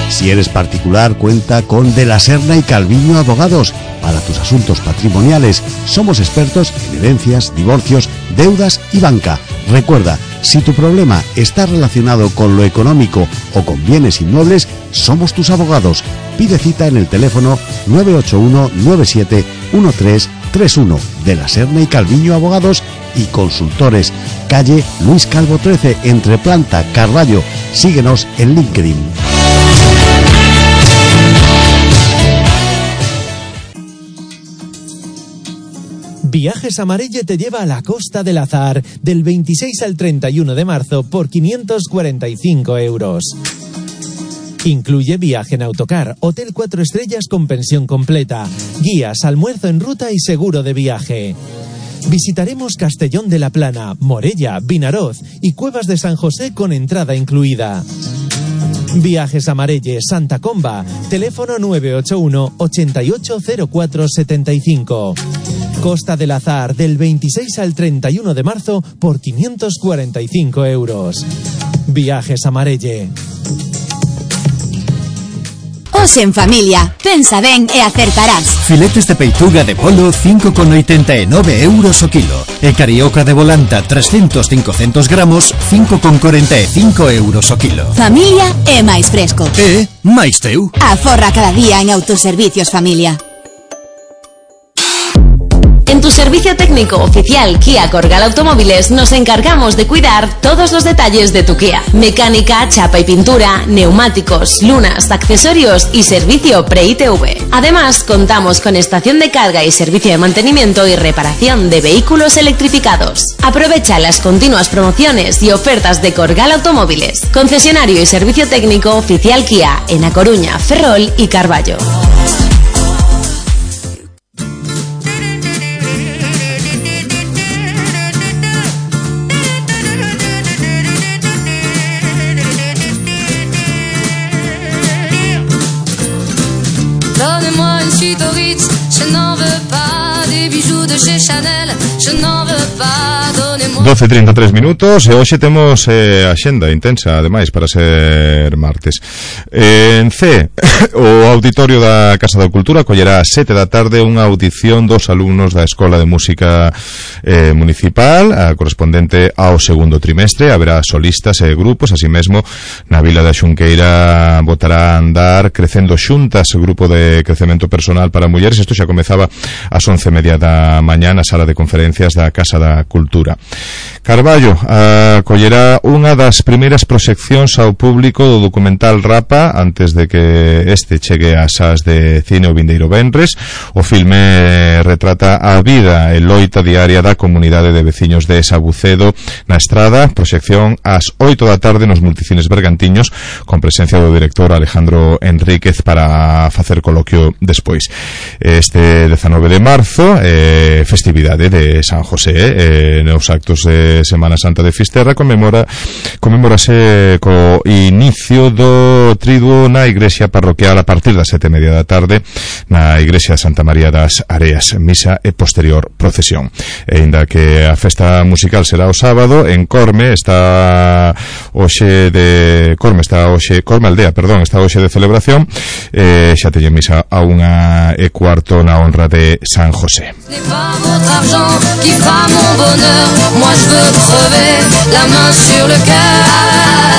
[SPEAKER 11] Si eres particular, cuenta con De la Serna y Calviño Abogados. Para tus asuntos patrimoniales, somos expertos en herencias, divorcios, deudas y banca. Recuerda, si tu problema está relacionado con lo económico o con bienes inmuebles, somos tus abogados. Pide cita en el teléfono 981-971331. De la Serna y Calviño Abogados y Consultores. Calle Luis Calvo 13, entre Planta, Carballo. Síguenos en LinkedIn.
[SPEAKER 10] Viajes Amarelle te lleva a la Costa del Azar del 26 al 31 de marzo por 545 euros. Incluye viaje en autocar, hotel 4 estrellas con pensión completa, guías, almuerzo en ruta y seguro de viaje. Visitaremos Castellón de la Plana, Morella, Vinaroz y Cuevas de San José con entrada incluida. Viajes Amarelle, Santa Comba, teléfono 981 880475. Costa del Azar del 26 al 31 de marzo por 545 euros. Viajes Amarelle.
[SPEAKER 6] Os en familia, pensa ben e acertarás.
[SPEAKER 7] Filetes de peituga de polo 5,89 euros o kilo. E carioca de volanta 300-500 gramos 5,45 euros o kilo.
[SPEAKER 6] Familia é máis fresco.
[SPEAKER 7] E máis teu.
[SPEAKER 6] Aforra cada día en Autoservicios Familia.
[SPEAKER 5] En tu servicio técnico oficial Kia Corgal Automóviles nos encargamos de cuidar todos los detalles de tu Kia. Mecánica, chapa y pintura, neumáticos, lunas, accesorios y servicio pre-ITV. Además, contamos con estación de carga y servicio de mantenimiento y reparación de vehículos electrificados. Aprovecha las continuas promociones y ofertas de Corgal Automóviles. Concesionario y servicio técnico oficial Kia en A Coruña, Ferrol y Carballo.
[SPEAKER 13] Donnez-moi une suite au Ritz, je n'en veux pas des bijoux de chez Chanel, je n'en veux pas, donnez-moi...
[SPEAKER 2] 12:33 minutos e hoxe temos axenda intensa, ademais, para ser martes. En C, o Auditorio da Casa da Cultura collerá a 7 da tarde unha audición dos alumnos da Escola de Música Municipal, a correspondente ao segundo trimestre. Haberá solistas e grupos, así mesmo na Vila da Xunqueira botará a andar Crecendo Xuntas, grupo de crecemento personal para mulleres. Isto xa comezaba ás 11:30 da mañá na sala de conferencias conferencias da Casa da Cultura. Carballo acollerá unha das primeiras proxeccións ao público do documental Rapa antes de que este chegue ás salas de cine o vindeiro venres. O filme retrata a vida e loita diaria da comunidade de veciños de Sabucedo na Estrada. Proxección ás 8 da tarde nos Multicines Bergantiños, con presencia do director Alejandro Enríquez para facer coloquio despois. Este 19 de marzo, festividade de San José, nos actos de Semana Santa de Fisterra comemórase co inicio do triduo na igrexa parroquial a partir das 7:30 da tarde na igrexa de Santa María das Areas, misa e posterior procesión. E aínda que a festa musical será o sábado, en Corme está hoxe de celebración, xa teñen misa a 1:15 na honra de San José.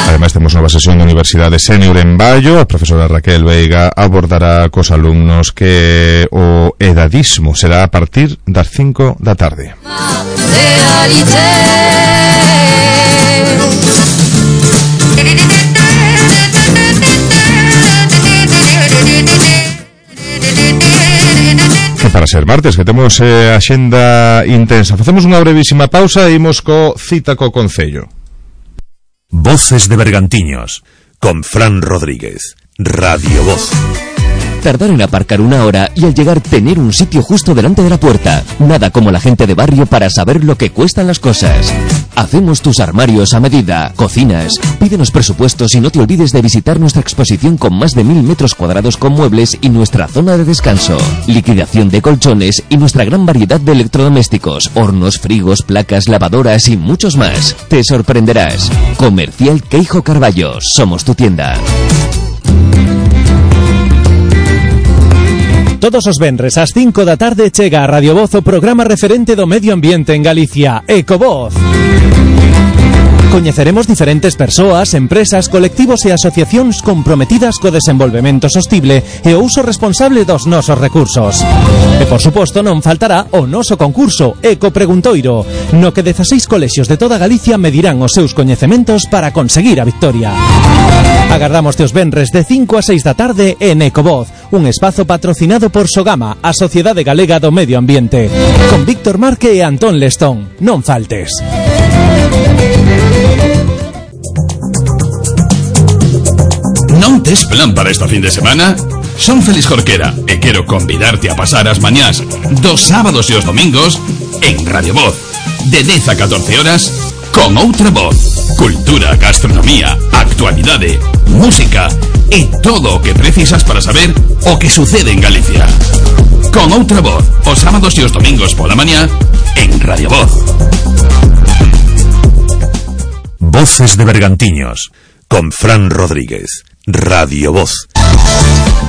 [SPEAKER 2] Ademais temos nova sesión da Universidade Sénior en Baio. A profesora Raquel Veiga abordará cos alumnos que o edadismo será a partir das 5 da tarde. Que para ser martes, que temos a xenda intensa, facemos unha brevísima pausa e imos co Cita co Concello.
[SPEAKER 1] Voces de Bergantiños, con Fran Rodríguez, Radio Voz.
[SPEAKER 14] Tardar en aparcar una hora y al llegar tener un sitio justo delante de la puerta. Nada como la gente de barrio para saber lo que cuestan las cosas. Hacemos tus armarios a medida, cocinas. Pídenos presupuestos y no te olvides de visitar nuestra exposición con más de 1000 metros cuadrados con muebles y nuestra zona de descanso. Liquidación de colchones y nuestra gran variedad de electrodomésticos, hornos, frigos, placas, lavadoras y muchos más. Te sorprenderás. Comercial Queijo Carballo. Somos tu tienda.
[SPEAKER 10] Todos os venres ás 5 da tarde chega a Radio Voz o programa referente do medio ambiente en Galicia, Ecovoz. Coñeceremos diferentes persoas, empresas, colectivos e asociacións comprometidas co desenvolvemento sostible e o uso responsable dos nosos recursos. E, por suposto, non faltará o noso concurso Eco Preguntoiro, no que 16 colexios de toda Galicia medirán os seus coñecementos para conseguir a victoria. Agardamos os venres de 5 a 6 da tarde en Ecovoz, un espazo patrocinado por Sogama, a Sociedade Galega do Medio Ambiente, con Víctor Marque e Antón Lestón. Non faltes.
[SPEAKER 15] Non tes plan para esta fin de semana? Son Félix Jorquera e quero convidarte a pasar as mañás dos sábados e os domingos en Radio Voz, de 10 a 14 horas, con outra voz. Cultura, gastronomía, actualidade, música e todo o que precisas para saber o que sucede en Galicia. Con outra voz, os sábados e os domingos pola mañá en Radio Voz.
[SPEAKER 1] Voces de Bergantiños, con Fran Rodríguez, Radio Voz.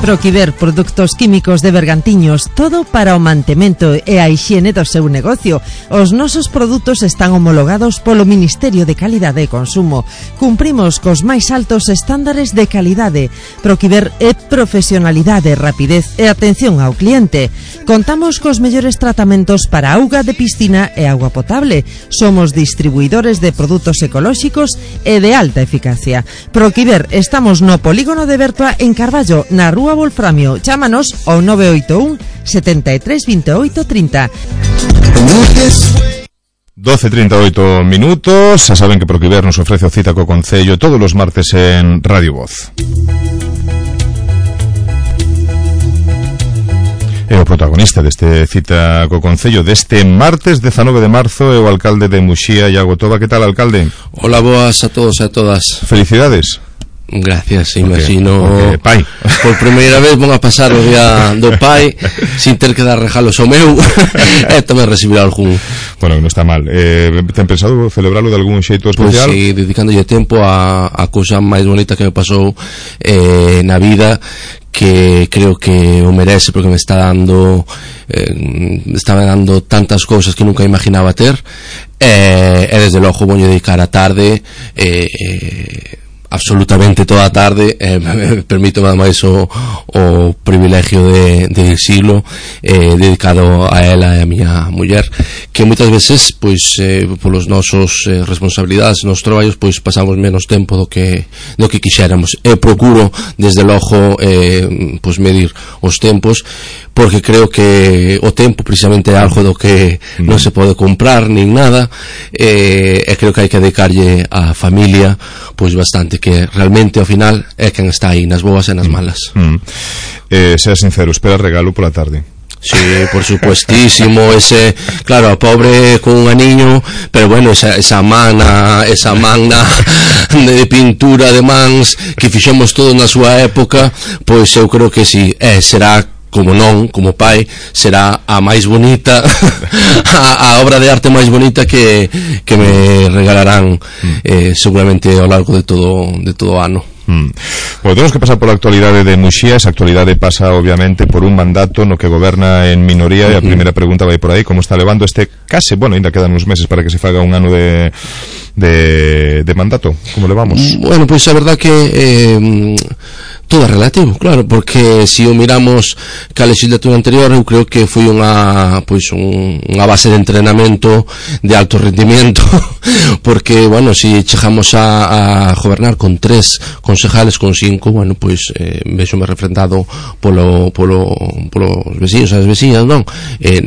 [SPEAKER 16] Proquiver, produtos químicos de Bergantiños, todo para o mantemento e a hixiene do seu negocio. Os nosos produtos están homologados polo Ministerio de Calidade e Consumo. Cumprimos cos máis altos estándares de calidade. Proquiver é profesionalidade, rapidez e atención ao cliente. Contamos cos mellores tratamentos para auga de piscina e auga potable. Somos distribuidores de produtos ecolóxicos e de alta eficacia. Proquiver, estamos no polígono de Bertua en Carballo, na Rúa Wolframio. Chámanos ao 981 73 28 30.
[SPEAKER 2] 12:38 minutos. Xa saben que Proquiver nos ofrece o Cita co Concello todos os martes en Radio Voz. E o protagonista deste Cita co Concello deste martes 19 de marzo é o alcalde de Muxía, Iago Toba. Que tal, alcalde?
[SPEAKER 17] Hola, boas a todos e a todas.
[SPEAKER 2] Felicidades.
[SPEAKER 17] Gracias, imagino.
[SPEAKER 2] Porque pai.
[SPEAKER 17] Por primeira vez vou a pasar o día do pai sin ter que dar regalos ao meu e tamén recibir algún.
[SPEAKER 2] Bueno, non está mal. Ten pensado celebralo de algún xeito especial?
[SPEAKER 17] Pois sí, dedicándolle tempo a cousa máis bonita que me pasou na vida, que creo que o merece porque me está dando tantas cousas que nunca imaginaba ter, e desde logo vou dedicar a tarde absolutamente toda a tarde, permítome ademais o privilegio de dicilo, dedicado a ela e a miña muller, que moitas veces pois polos nosos responsabilidades, nos traballos, pois pasamos menos tempo do que quixéramos. Eu procuro desde logo pois medir os tempos, porque creo que o tempo precisamente é algo do que non se pode comprar nin nada, e creo que hai que dedicarlle á familia pois bastante, que realmente ao final é quen está aí nas boas e nas malas.
[SPEAKER 2] Sea sincero, espera regalo pola tarde?
[SPEAKER 17] Sí, por supuestísimo, claro, a pobre con un aniño, pero bueno, esa magna de pintura de mans que fixemos todo na súa época, pois eu creo que sí, será, como non, como pai, será a máis bonita a obra de arte máis bonita que me regalarán seguramente ao largo de todo o ano.
[SPEAKER 2] Bueno, tenemos que pasar por la actualidade de Muxía. Esa actualidade pasa obviamente por un mandato no que goberna en minoría, e a primeira pregunta vai por aí: como está levando este case, bueno, ainda quedan uns meses para que se faga un ano de mandato, como levamos?
[SPEAKER 17] Bueno, pois a verdad que todo é relativo, claro, porque se o miramos que a legislatura anterior, eu creo que foi unha base de entrenamento de alto rendimiento, porque, bueno, se chegamos a gobernar con 3 concejales, con 5, bueno, pois vexome refrendado polos veciños e as veciñas, non?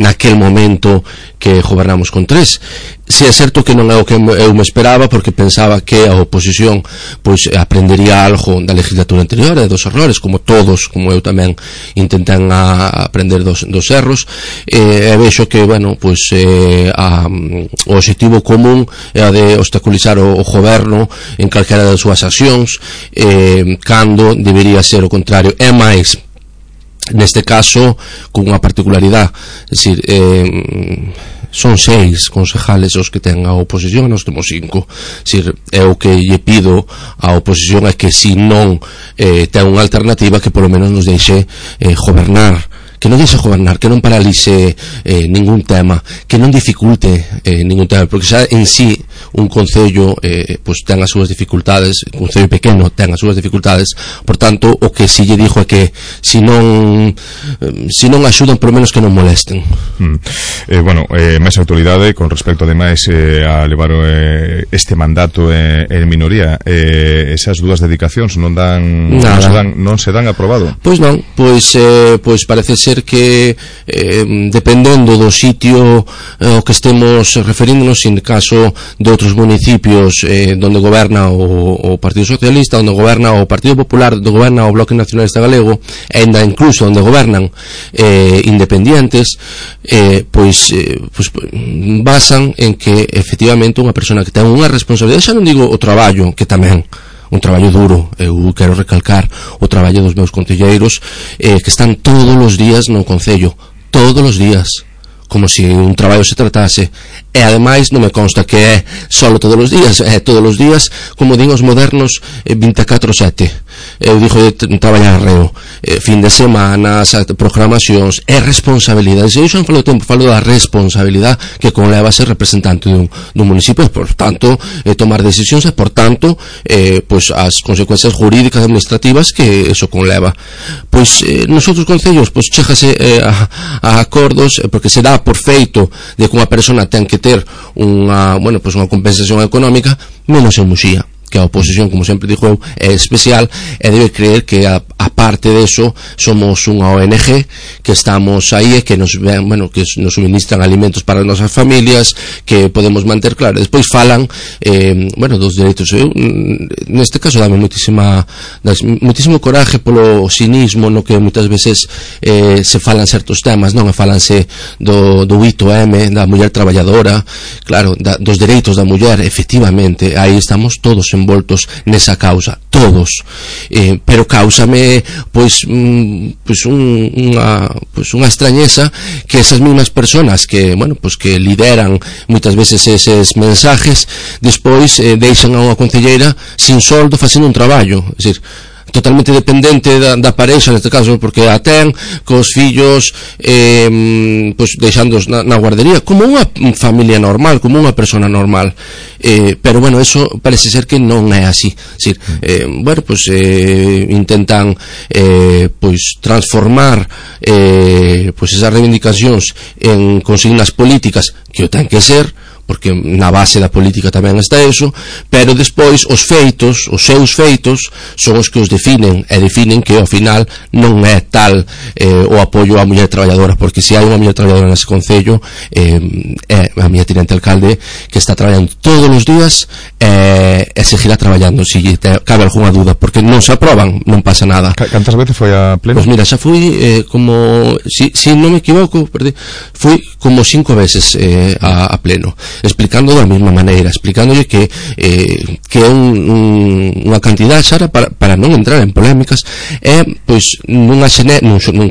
[SPEAKER 17] Naquel momento que gobernamos con 3. Si é certo que non é o que eu me esperaba, porque pensaba que a oposición pois aprendería algo da legislatura anterior e dos errores, como todos, como eu tamén intentei aprender dos erros, e vexo que, bueno, pois o objetivo común é a de obstaculizar o goberno en calquera das súas accións, cando debería ser o contrario. É máis, neste caso, con unha particularidade, é dicir, son 6 concejales os que ten a oposición e nós temos 5. É o que lle pido á oposición é que se non ten unha alternativa, que polo menos nos deixe gobernar, que non deixe gobernar, que non paralice ningún tema, que non dificulte ningún tema, porque xa en sí un concello pois ten as súas dificultades, un concello pequeno ten as súas dificultades, por tanto o que si lle dixo é que se non axudan, por menos que non molesten.
[SPEAKER 2] Bueno, máis actualidade con respecto ademais a levar este mandato en minoría, esas dúas dedicacións non se dan aprobado?
[SPEAKER 17] Pois non, pois parece ser que dependendo do sitio ao que estemos referíndonos, en caso de outros municipios donde goberna o Partido Socialista, onde goberna o Partido Popular, onde goberna o Bloque Nacionalista Galego, e ainda incluso onde gobernan independientes, pois basan en que efectivamente unha persona que ten unha responsabilidade, xa non digo o traballo, que tamén un traballo duro, eu quero recalcar o traballo dos meus concelleiros, que están todos os días no concello, todos os días, como se un traballo se tratase, e ademais non me consta que é solo todos os días, é todos os días, como din os modernos, 24/7. Eu dixo de traballar reo, fin de semana, programacións, é responsabilidade. Se eu xa non falo do tempo, falo da responsabilidade que conleva ser representante dun municipio, e por tanto tomar decisións, e por tanto pois as consecuencias jurídicas e administrativas que eso conleva. Pois nos outros concellos pois chégase a acordos, porque se dá por feito de que unha persona ten que ter unha compensación económica, menos en Muxía, que a oposición, como sempre dixo eu, é especial, e debe creer que a parte deso somos unha ONG que estamos aí e que nos suministran alimentos para as nosas familias, que podemos manter, claro. Despois falan dos dereitos. Eu neste caso dame moitísimo coraje polo cinismo no que moitas veces se falan certos temas, non? Falanse do 8M, da muller traballadora, claro, dos dereitos da muller. Efectivamente, aí estamos todos envoltos nesa causa, todos, pero cáusame unha extrañeza que esas mismas personas que lideran moitas veces eses mensajes, despois deixan a unha concelleira sin soldo facendo un traballo. É dicir, totalmente dependente da parexa, neste caso, porque a ten cos fillos pois deixándoos na guardería, como unha familia normal, como unha persona normal, pero bueno, eso parece ser que non é así. Es decir, bueno, pois intentan pois transformar pois esas reivindicacións en consignas políticas que o ten que ser, porque na base da política tamén está eso, pero despois os seus feitos son os que os definen, e definen que ao final non é tal o apoio á muller traballadora, porque se hai unha muller traballadora nese concello, é a miña tinente alcalde que está traballando todos os días e seguirá traballando se cabe algunha dúda, porque non se aproban, non pasa nada.
[SPEAKER 2] Cantas veces foi a pleno?
[SPEAKER 17] Pois mira, xa fui como, si non me equivoco, fui como 5 veces a pleno, explicando da mesma maneira, explicándolle que é unha cantidad xa para non entrar en polémicas, é pois nun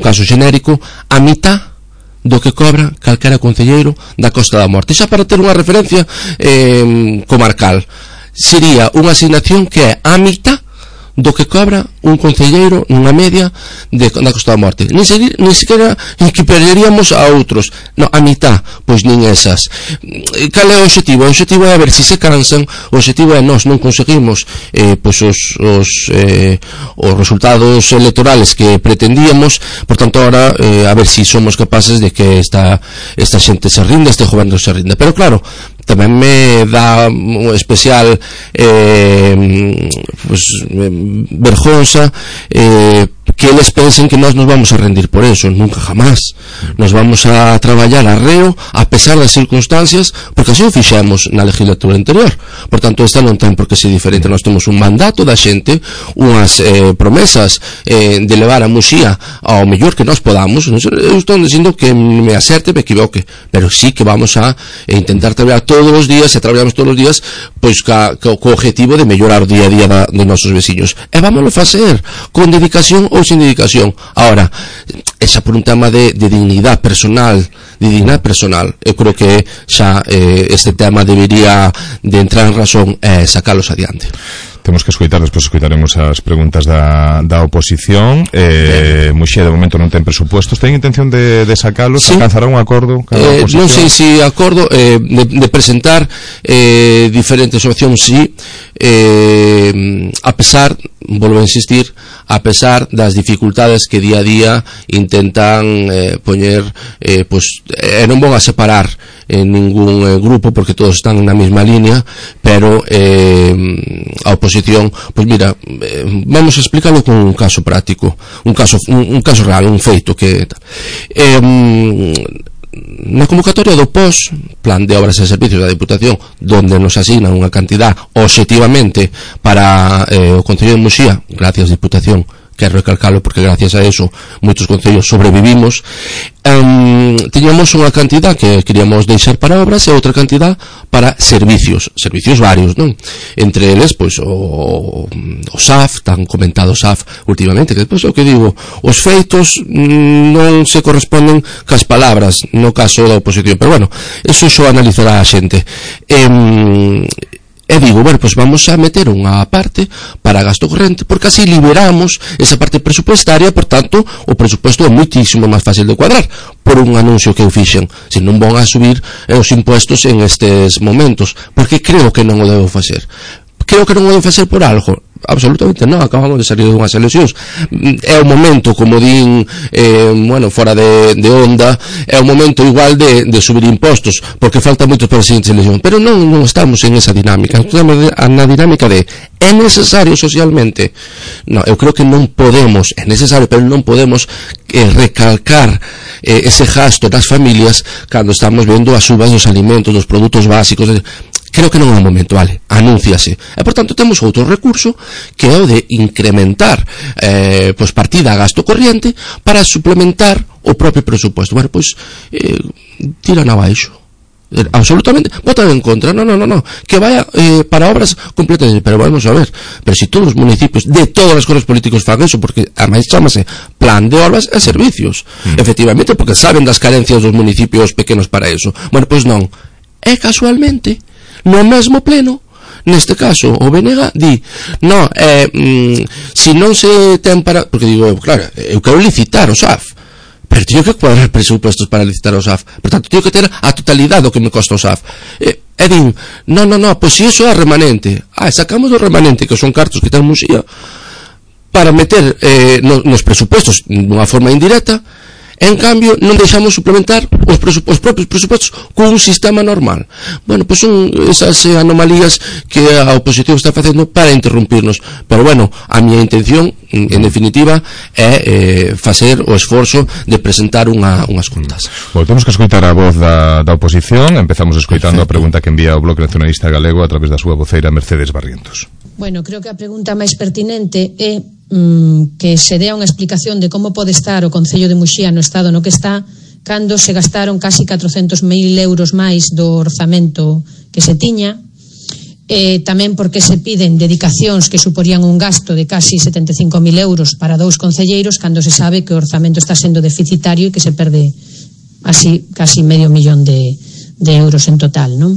[SPEAKER 17] caso xenérico a mitad do que cobra calquera concelleiro da Costa da Morte. Xa para ter unha referencia comarcal, sería unha asignación que é a mitad do que cobra un concelleiro nunha media da Costa da Morte. Nin sequera equipararíamos a outros, no, a mitad, pois nin esas. Cal é o objetivo? O objetivo é a ver se se cansan, o objetivo é nós non conseguimos pois os resultados electorales que pretendíamos, por tanto ahora a ver se somos capaces de que esta xente se rinda, este goberno se rinda. Pero claro, tamén me dá un especial pues, vergonza que eles pensen que nós nos vamos a rendir por eso. Nunca jamás. Nos vamos a traballar arreo a pesar das circunstancias, porque así o fixemos na legislatura anterior. Por tanto, esta non ten por que ser diferente. Nós temos un mandato da xente, unhas promesas de levar a Muxía ao mellor que nós podamos. Eu estou dicindo que me acerte, me equivoque, pero sí que vamos a intentar traballar todos os días, e traballamos todos os días pois co objetivo de mellorar o día a día dos nosos veciños. E vámonos facer con dedicación ou sin dedicación. Ahora, esa por un tema de dignidade personal, eu creo que xa este tema debería de entrar en razón e sacalos adiante.
[SPEAKER 2] Temos que escoitar, despois escoitaremos as preguntas da oposición. Muxía de momento non ten presupuestos. Ten intención de sacalos? Sí. Alcanzará un acordo?
[SPEAKER 17] Non sei se acordo de presentar diferentes opcións, sí, a pesar, volvo a insistir, a pesar das dificultades que día a día intentan poñer, pues, non van a separar en ningún grupo, porque todos están na mesma línea, pero a oposición, pues mira, vamos a explicarlo con un caso práctico, un caso real, un feito que na convocatoria do POS, Plan de Obras e Servicios da Diputación, donde nos asignan unha cantidad obxectivamente para o Concello de Muxía, gracias Diputación, quero recalcalo porque gracias a eso moitos concellos sobrevivimos, tiñamos unha cantidad que queríamos deixar para obras e outra cantidad para servicios varios, non? Entre eles, pois, o SAF, tan comentado SAF últimamente, que depois o que digo, os feitos non se corresponden cas palabras no caso da oposición, pero bueno, eso xo analizará a xente. E digo, bueno, pues vamos a meter unha parte para gasto corrente, porque así liberamos esa parte presupuestaria, por tanto, o presupuesto é moitísimo máis fácil de cuadrar, por un anuncio que eu fixen. Se non van a subir os impuestos en estes momentos, porque creo que non o debo facer. Creo que non o debo facer por algo. Absolutamente non, acabamos de salir dunhas eleccións, é o momento, como din bueno, fora de onda, é o momento igual de subir impostos, porque falta moito para as seguintes eleccións, pero non estamos en esa dinámica, estamos na dinámica de é necesario socialmente. No, eu creo que non podemos, é necesario, pero non podemos recalcar ese gasto das familias cando estamos vendo as subas dos alimentos, dos produtos básicos. Creo que non é o momento, vale, anúnciase. E, por tanto, temos outro recurso que é o de incrementar pois partida a gasto corriente para suplementar o propio presupuesto. Bueno, pois, tiran abaixo. Absolutamente, votan en contra. No, que vaya para obras completas. Pero vamos a ver, pero si todos os municipios de todas as cores políticos fan eso, porque además chamase Plan de Obras e Servicios, efectivamente, porque saben das carencias dos municipios pequenos para eso. Bueno, pois non. E casualmente no mesmo pleno, Neste caso, o BNG di, no, se non se ten para... Porque digo, claro, eu quero licitar o SAF, pero teño que cuadrar presupuestos para licitar o SAF. Por tanto, teño que ter a totalidade do que me costa o SAF. E din, no, pois se iso é remanente. Sacamos o remanente, que son cartos que ten Muxía, para meter nos presupuestos dunha forma indirecta. En cambio, non deixamos suplementar os propios presupostos con un sistema normal. Bueno, pois son esas anomalías que a oposición está facendo para interrumpirnos. Pero bueno, a miña intención, en definitiva, é facer o esforzo de presentar unhas contas.
[SPEAKER 2] Voltemos que escoitar a voz da oposición. Empezamos escoitando a pregunta que envía o Bloque Nacionalista Galego a través da súa voceira Mercedes Barrientos.
[SPEAKER 18] Bueno, creo que a pregunta máis pertinente é que se dea unha explicación de como pode estar o Concello de Muxía no estado no que está cando se gastaron casi 400.000 euros máis do orzamento que se tiña, tamén porque se piden dedicacións que suporían un gasto de casi 75.000 euros para 2 concelleiros cando se sabe que o orzamento está sendo deficitario e que se perde así casi medio millón de euros en total, non?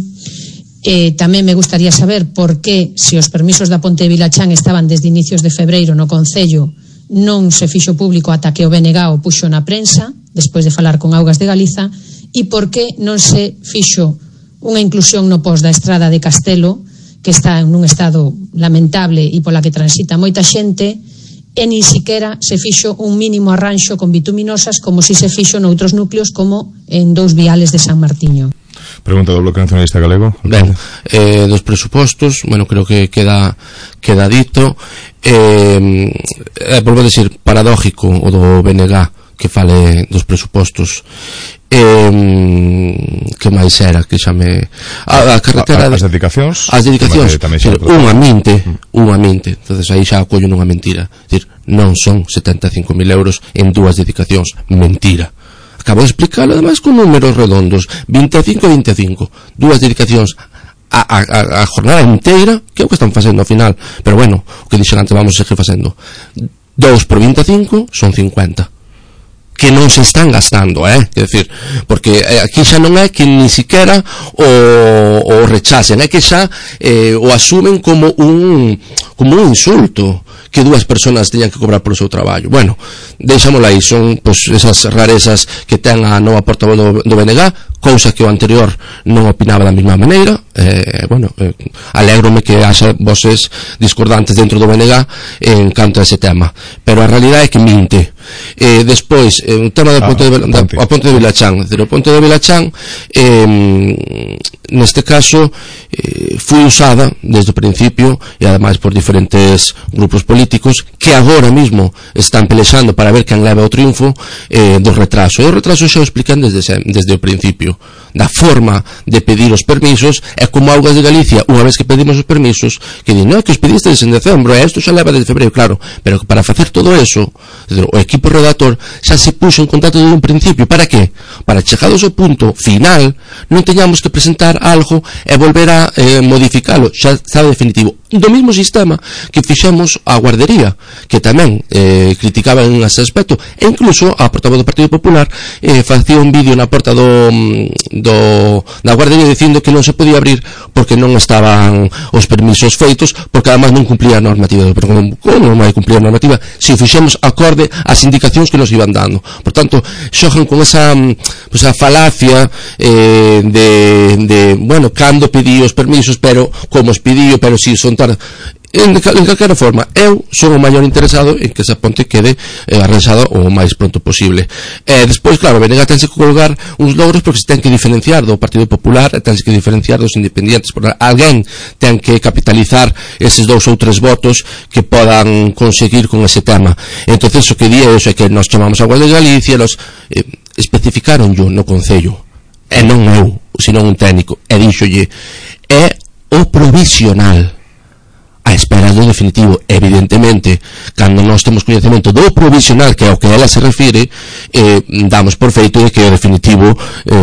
[SPEAKER 18] Tamén me gustaría saber por que, se os permisos da Ponte de Vilachán estaban desde inicios de febreiro no Concello, non se fixo público ata que o BNG o puxo na prensa, despois de falar con Augas de Galiza, e por que non se fixo unha inclusión no post da estrada de Castelo, que está nun estado lamentable e pola que transita moita xente, e nin siquiera se fixo un mínimo arranxo con bituminosas como si se fixo noutros núcleos como en 2 viales de San Martiño.
[SPEAKER 2] Pregunta do Bloque Nacionalista Galego.
[SPEAKER 17] Ben, dos presupostos, bueno, creo que queda dito. Volvo a decir, paradójico o do BNG que fale dos presupostos. Que máis era que xa me... A carretera...
[SPEAKER 2] As dedicacións?
[SPEAKER 17] As dedicacións, unha mente. Entonces aí xa acollo nunha mentira. Decir, non son 75.000 euros en 2 dedicacións. Mentira. Acabo de explicarlo además con números redondos, 25 e 25, 2 dedicacións a jornada inteira, que é o que están facendo ao final, pero bueno, o que dixen antes vamos a seguir facendo. 2 por 25 son 50 que non se están gastando, quer decir, porque aquí xa non é que ni siquiera o rechacen, é que xa o asumen como un insulto que 2 persoas teñan que cobrar polo seu traballo. Bueno, deixámosla aí, son pois esas rarezas que ten a nova portavoz do BNG, cousa que o anterior non opinaba da mesma maneira. Bueno, alégrome que haxa voces discordantes dentro do BNG en canto a ese tema, pero a realidade é que minte. Despois, o tema do Ponte de Vilachán, o Ponte de Vilachán neste caso foi usada desde o principio e ademais por diferentes grupos políticos que agora mismo están pelexando para ver quen leva o triunfo do retraso. E o retraso xa o explican desde o principio. Da forma de pedir os permisos é como Augas de Galicia, unha vez que pedimos os permisos, que di, non, que os pedistes en decembro, e isto xa leva desde febreiro, claro, pero para facer todo eso, o equipo redactor xa se puxo en contacto desde un principio. Para que? Para chegados ao punto final non teñamos que presentar algo e volver a modificalo, xa está definitivo. Do mesmo sistema que fixemos a guardería, que tamén criticaba en ese aspecto, e incluso a portavoz do Partido Popular facía un vídeo na porta da guardería dicindo que non se podía abrir porque non estaban os permisos feitos, porque además non cumplía a normativa. Pero como non vai cumplir a normativa se o fixemos acorde ás indicacións que nos iban dando? Por tanto, xogan con esa falacia de bueno, cando pedí os permisos, pero como os pedí, pero si son tarde. En calquera forma, eu son o maior interesado en que esa ponte quede arranxada o máis pronto posible. Despois, claro, BNG tense que colgar uns logros porque se ten que diferenciar do Partido Popular, tense que diferenciar dos independientes, porque alguén ten que capitalizar eses 2 ou 3 votos que podan conseguir con ese tema. Entonces, o que di é iso, é que nos chamamos a Augas de Galicia, los especificaron yo no Concello, e non eu, senón un técnico, e díxolle, é o provisional a espera do definitivo. Evidentemente, cando nós temos coñecemento do provisional, que é o que ela se refire, damos por feito de que o definitivo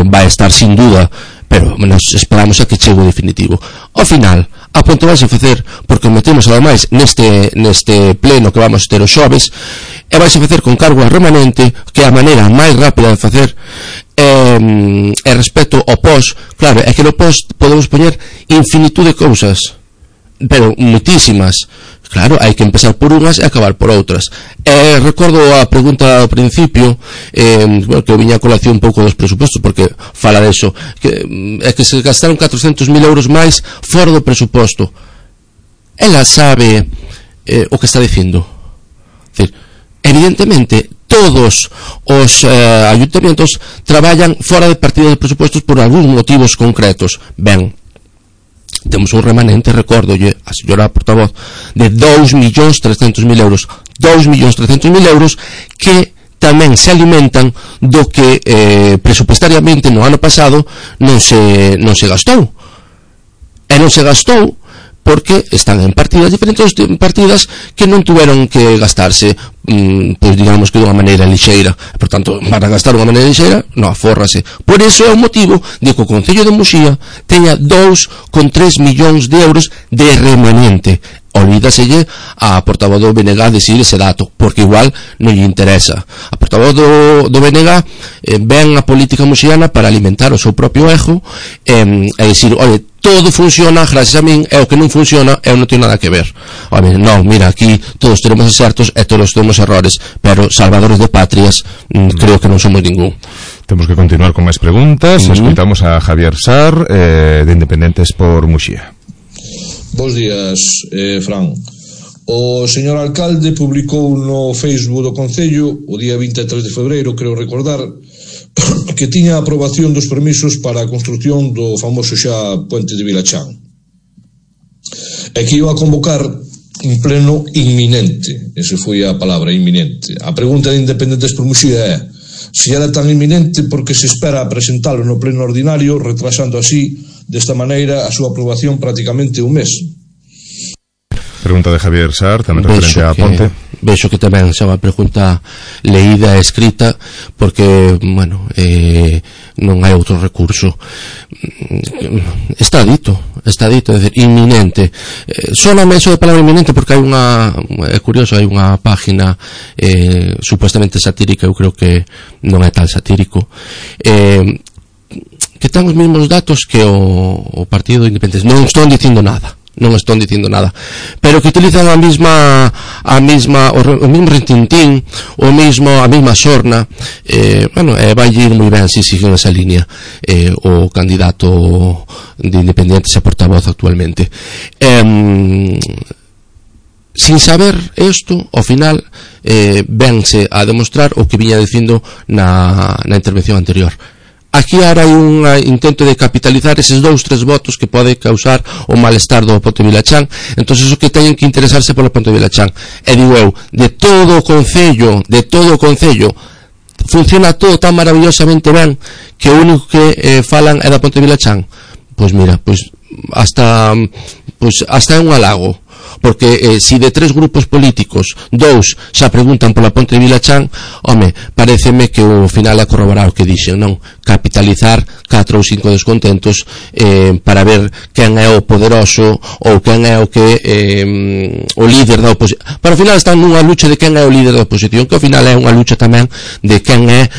[SPEAKER 17] vai estar sin duda, pero nos esperamos a que chegue o definitivo. Ao final, a ponte vai se facer, porque metemos ademais neste pleno que vamos ter os xoves, e vai se facer con cargo a remanente, que é a maneira máis rápida de facer. E respecto ao post, claro, é que no post podemos poñer infinitud de cousas. pero moitísimas. Claro, hai que empezar por unhas e acabar por outras. Recordo a pregunta ao principio, que viña a colación un pouco dos presupostos, porque fala deso, que se gastaron 400.000 euros máis fora do presuposto. Ela sabe o que está dicindo. Decir, evidentemente, todos os ayuntamientos traballan fora de partida de presupostos por algúns motivos concretos. Ben, temos un remanente, recórdolle a señora portavoz, de 2.300.000 euros. 2.300.000 euros que tamén se alimentan do que presupuestariamente no ano pasado non se gastou. E non se gastou porque están en partidas diferentes, partidas que non tuveron que gastarse, pois digamos que dunha maneira lixeira. Por tanto, para gastar dunha maneira lixeira, non, afórrase. Por iso é o motivo de que o Concello de Muxía teña 2,3 millóns de euros de remanente. Olvídaselle a portavoz do BNG decir ese dato, porque igual non lle interesa. A portavoz do BNG ven a política muxiana para alimentar o seu propio ego e decir, oi, todo funciona gracias a min, e o que non funciona eu non teño nada que ver. Oi, non, mira, aquí todos tenemos acertos e todos temos errores, pero salvadores de patrias creo que non somos ningún.
[SPEAKER 2] Temos que continuar con máis preguntas. Escoitamos a Javier Sar, de Independentes por Muxía.
[SPEAKER 19] Bos días, Fran. O señor alcalde publicou no Facebook do Concello o día 23 de febreiro, creo recordar, que tiña a aprobación dos permisos para a construción do famoso xa puente de Vilachán, e que iba a convocar un pleno inminente. Esa foi a palabra, inminente. A pregunta de Independentes por Muxía é: se era tan inminente, porque se espera a presentalo no pleno ordinario, retrasando así, desta maneira, a súa aprobación prácticamente un mes?
[SPEAKER 2] Pregunta de Javier Sar, tamén referente a Ponte.
[SPEAKER 17] Vexo que tamén xa unha pregunta leída e escrita, porque, bueno, non hai outro recurso. Está dito, é dicir, inminente. Sóname eso de palabra inminente porque hai unha, é curioso, hai unha página supuestamente satírica, eu creo que non é tan satírico, que ten os mesmos datos que o Partido Independentes. Non están dicindo nada, pero que utilizan o mesmo retintín, a mesma sorna. Bueno, vai ir moi ben se siguen esa línea o candidato de Independentes a portavoz actualmente. Sin saber isto, ao final vense a demostrar o que viña dicindo na intervención anterior. Aquí ahora hai un intento de capitalizar eses 2-3 votos que pode causar o malestar do Ponte Vilachán. Entonces o que teñen que interesarse polo Ponte Vilachán. E digo eu, de todo o Concello funciona todo tan maravillosamente ben que o único que falan é da Ponte Vilachán. Pois mira, hasta é un halago, porque si de 3 grupos políticos 2 xa preguntan pola Ponte de Vilachán, home, pareceme que o final é corroborar o que dixen, non? Capitalizar 4 ou 5 descontentos para ver quen é o poderoso ou quen é o que o líder da oposición. Para o final están nunha lucha de quen é o líder da oposición, que ao final é unha lucha tamén de quen é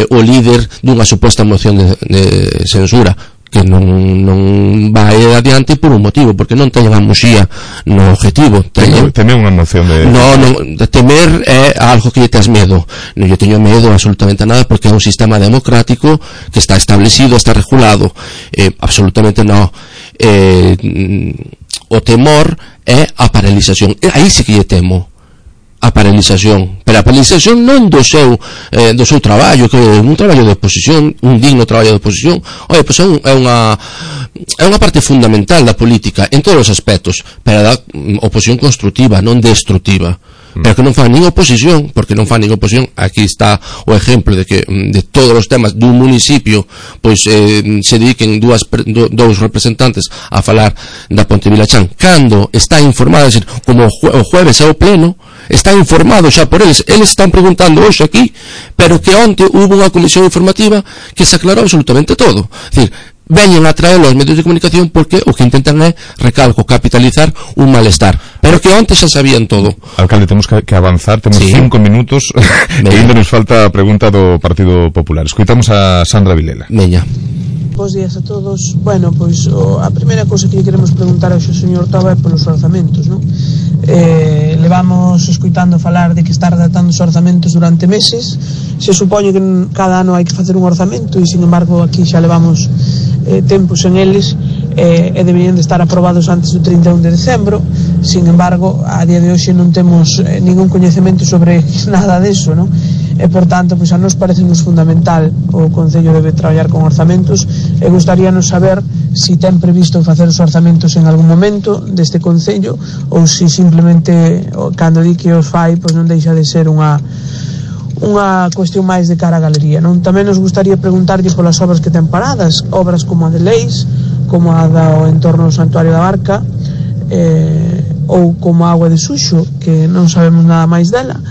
[SPEAKER 17] o líder dunha suposta moción de censura, que non vai adiante por un motivo, porque non teñen a Muxía no objetivo.
[SPEAKER 2] Temer unha moción de...
[SPEAKER 17] Non, temer é algo que lle tes medo. Non lle teño medo absolutamente nada, porque é un sistema democrático que está establecido, está regulado. Absolutamente non. O temor é a paralización. Aí sí que lle temo a paralización, pero a paralización non do seu traballo, que é un traballo de oposición, un digno traballo de oposición. Oye, pois é unha parte fundamental da política en todos os aspectos, pero da oposición constructiva, non destructiva. Pero que non fan nin oposición, porque non fan nin oposición. Aquí está o exemplo de que de todos os temas dun municipio pois se dediquen dous representantes a falar da Ponte Vilachán, cando está informado, decir, como o jueves é o pleno, está informado xa por eles están preguntando hoxe aquí, pero que onte hubo unha comisión informativa que se aclarou absolutamente todo. É dicir, veñen a traer os medios de comunicación porque o que intentan é, recalco, capitalizar un malestar, pero que onte xa sabían todo.
[SPEAKER 2] Alcalde, temos que avanzar, temos 5 minutos e ainda nos falta a pregunta do Partido Popular. Escoitamos a Sandra Vilela.
[SPEAKER 17] Veña.
[SPEAKER 20] bos días a todos. Bueno, pois a primeira cousa que lle queremos preguntar ao señor Toba é polos orzamentos, non? Levamos escoitando falar de que está redactando os orzamentos durante meses. Se supoñe que cada ano hai que facer un orzamento e, sin embargo, aquí xa levamos tempos en eles e deberían de estar aprobados antes do 31 de decembro. Sin embargo, a día de hoxe non temos ningún coñecemento sobre nada deso, non? E, por tanto, pois a nos parece-nos fundamental o Concello debe traballar con orzamentos e gustaríanos saber si ten previsto facer os orzamentos en algún momento deste Concello ou si simplemente cando di que os fai pois non deixa de ser unha cuestión máis de cara a galería, non? Tamén nos gustaría preguntarlle polas obras que ten paradas, obras como a de Leis, como a do entorno do Santuario da Barca, ou como a Agua de Suxo, que non sabemos nada máis dela.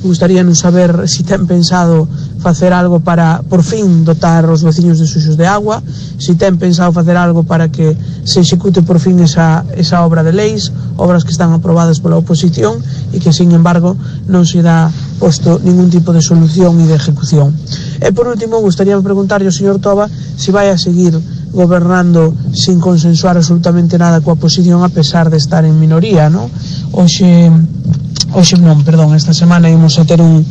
[SPEAKER 20] Gustaríanos saber si ten pensado facer algo para, por fin, dotar os veciños de Suxos de agua, si ten pensado facer algo para que se execute por fin esa obra de Leis, obras que están aprobadas pola oposición e que, sin embargo, non se dá posto ningún tipo de solución e de ejecución. E, por último, gustaría preguntarlle ao señor Toba si vai a seguir gobernando sin consensuar absolutamente nada coa oposición a pesar de estar en minoría, non? Esta semana ímos a ter un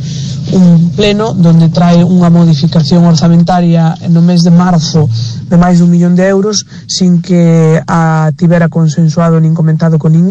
[SPEAKER 20] pleno donde trae unha modificación orzamentaria no mes de marzo de máis de 1 millón de euros sin que a tivera consensuado nin comentado con ninguén.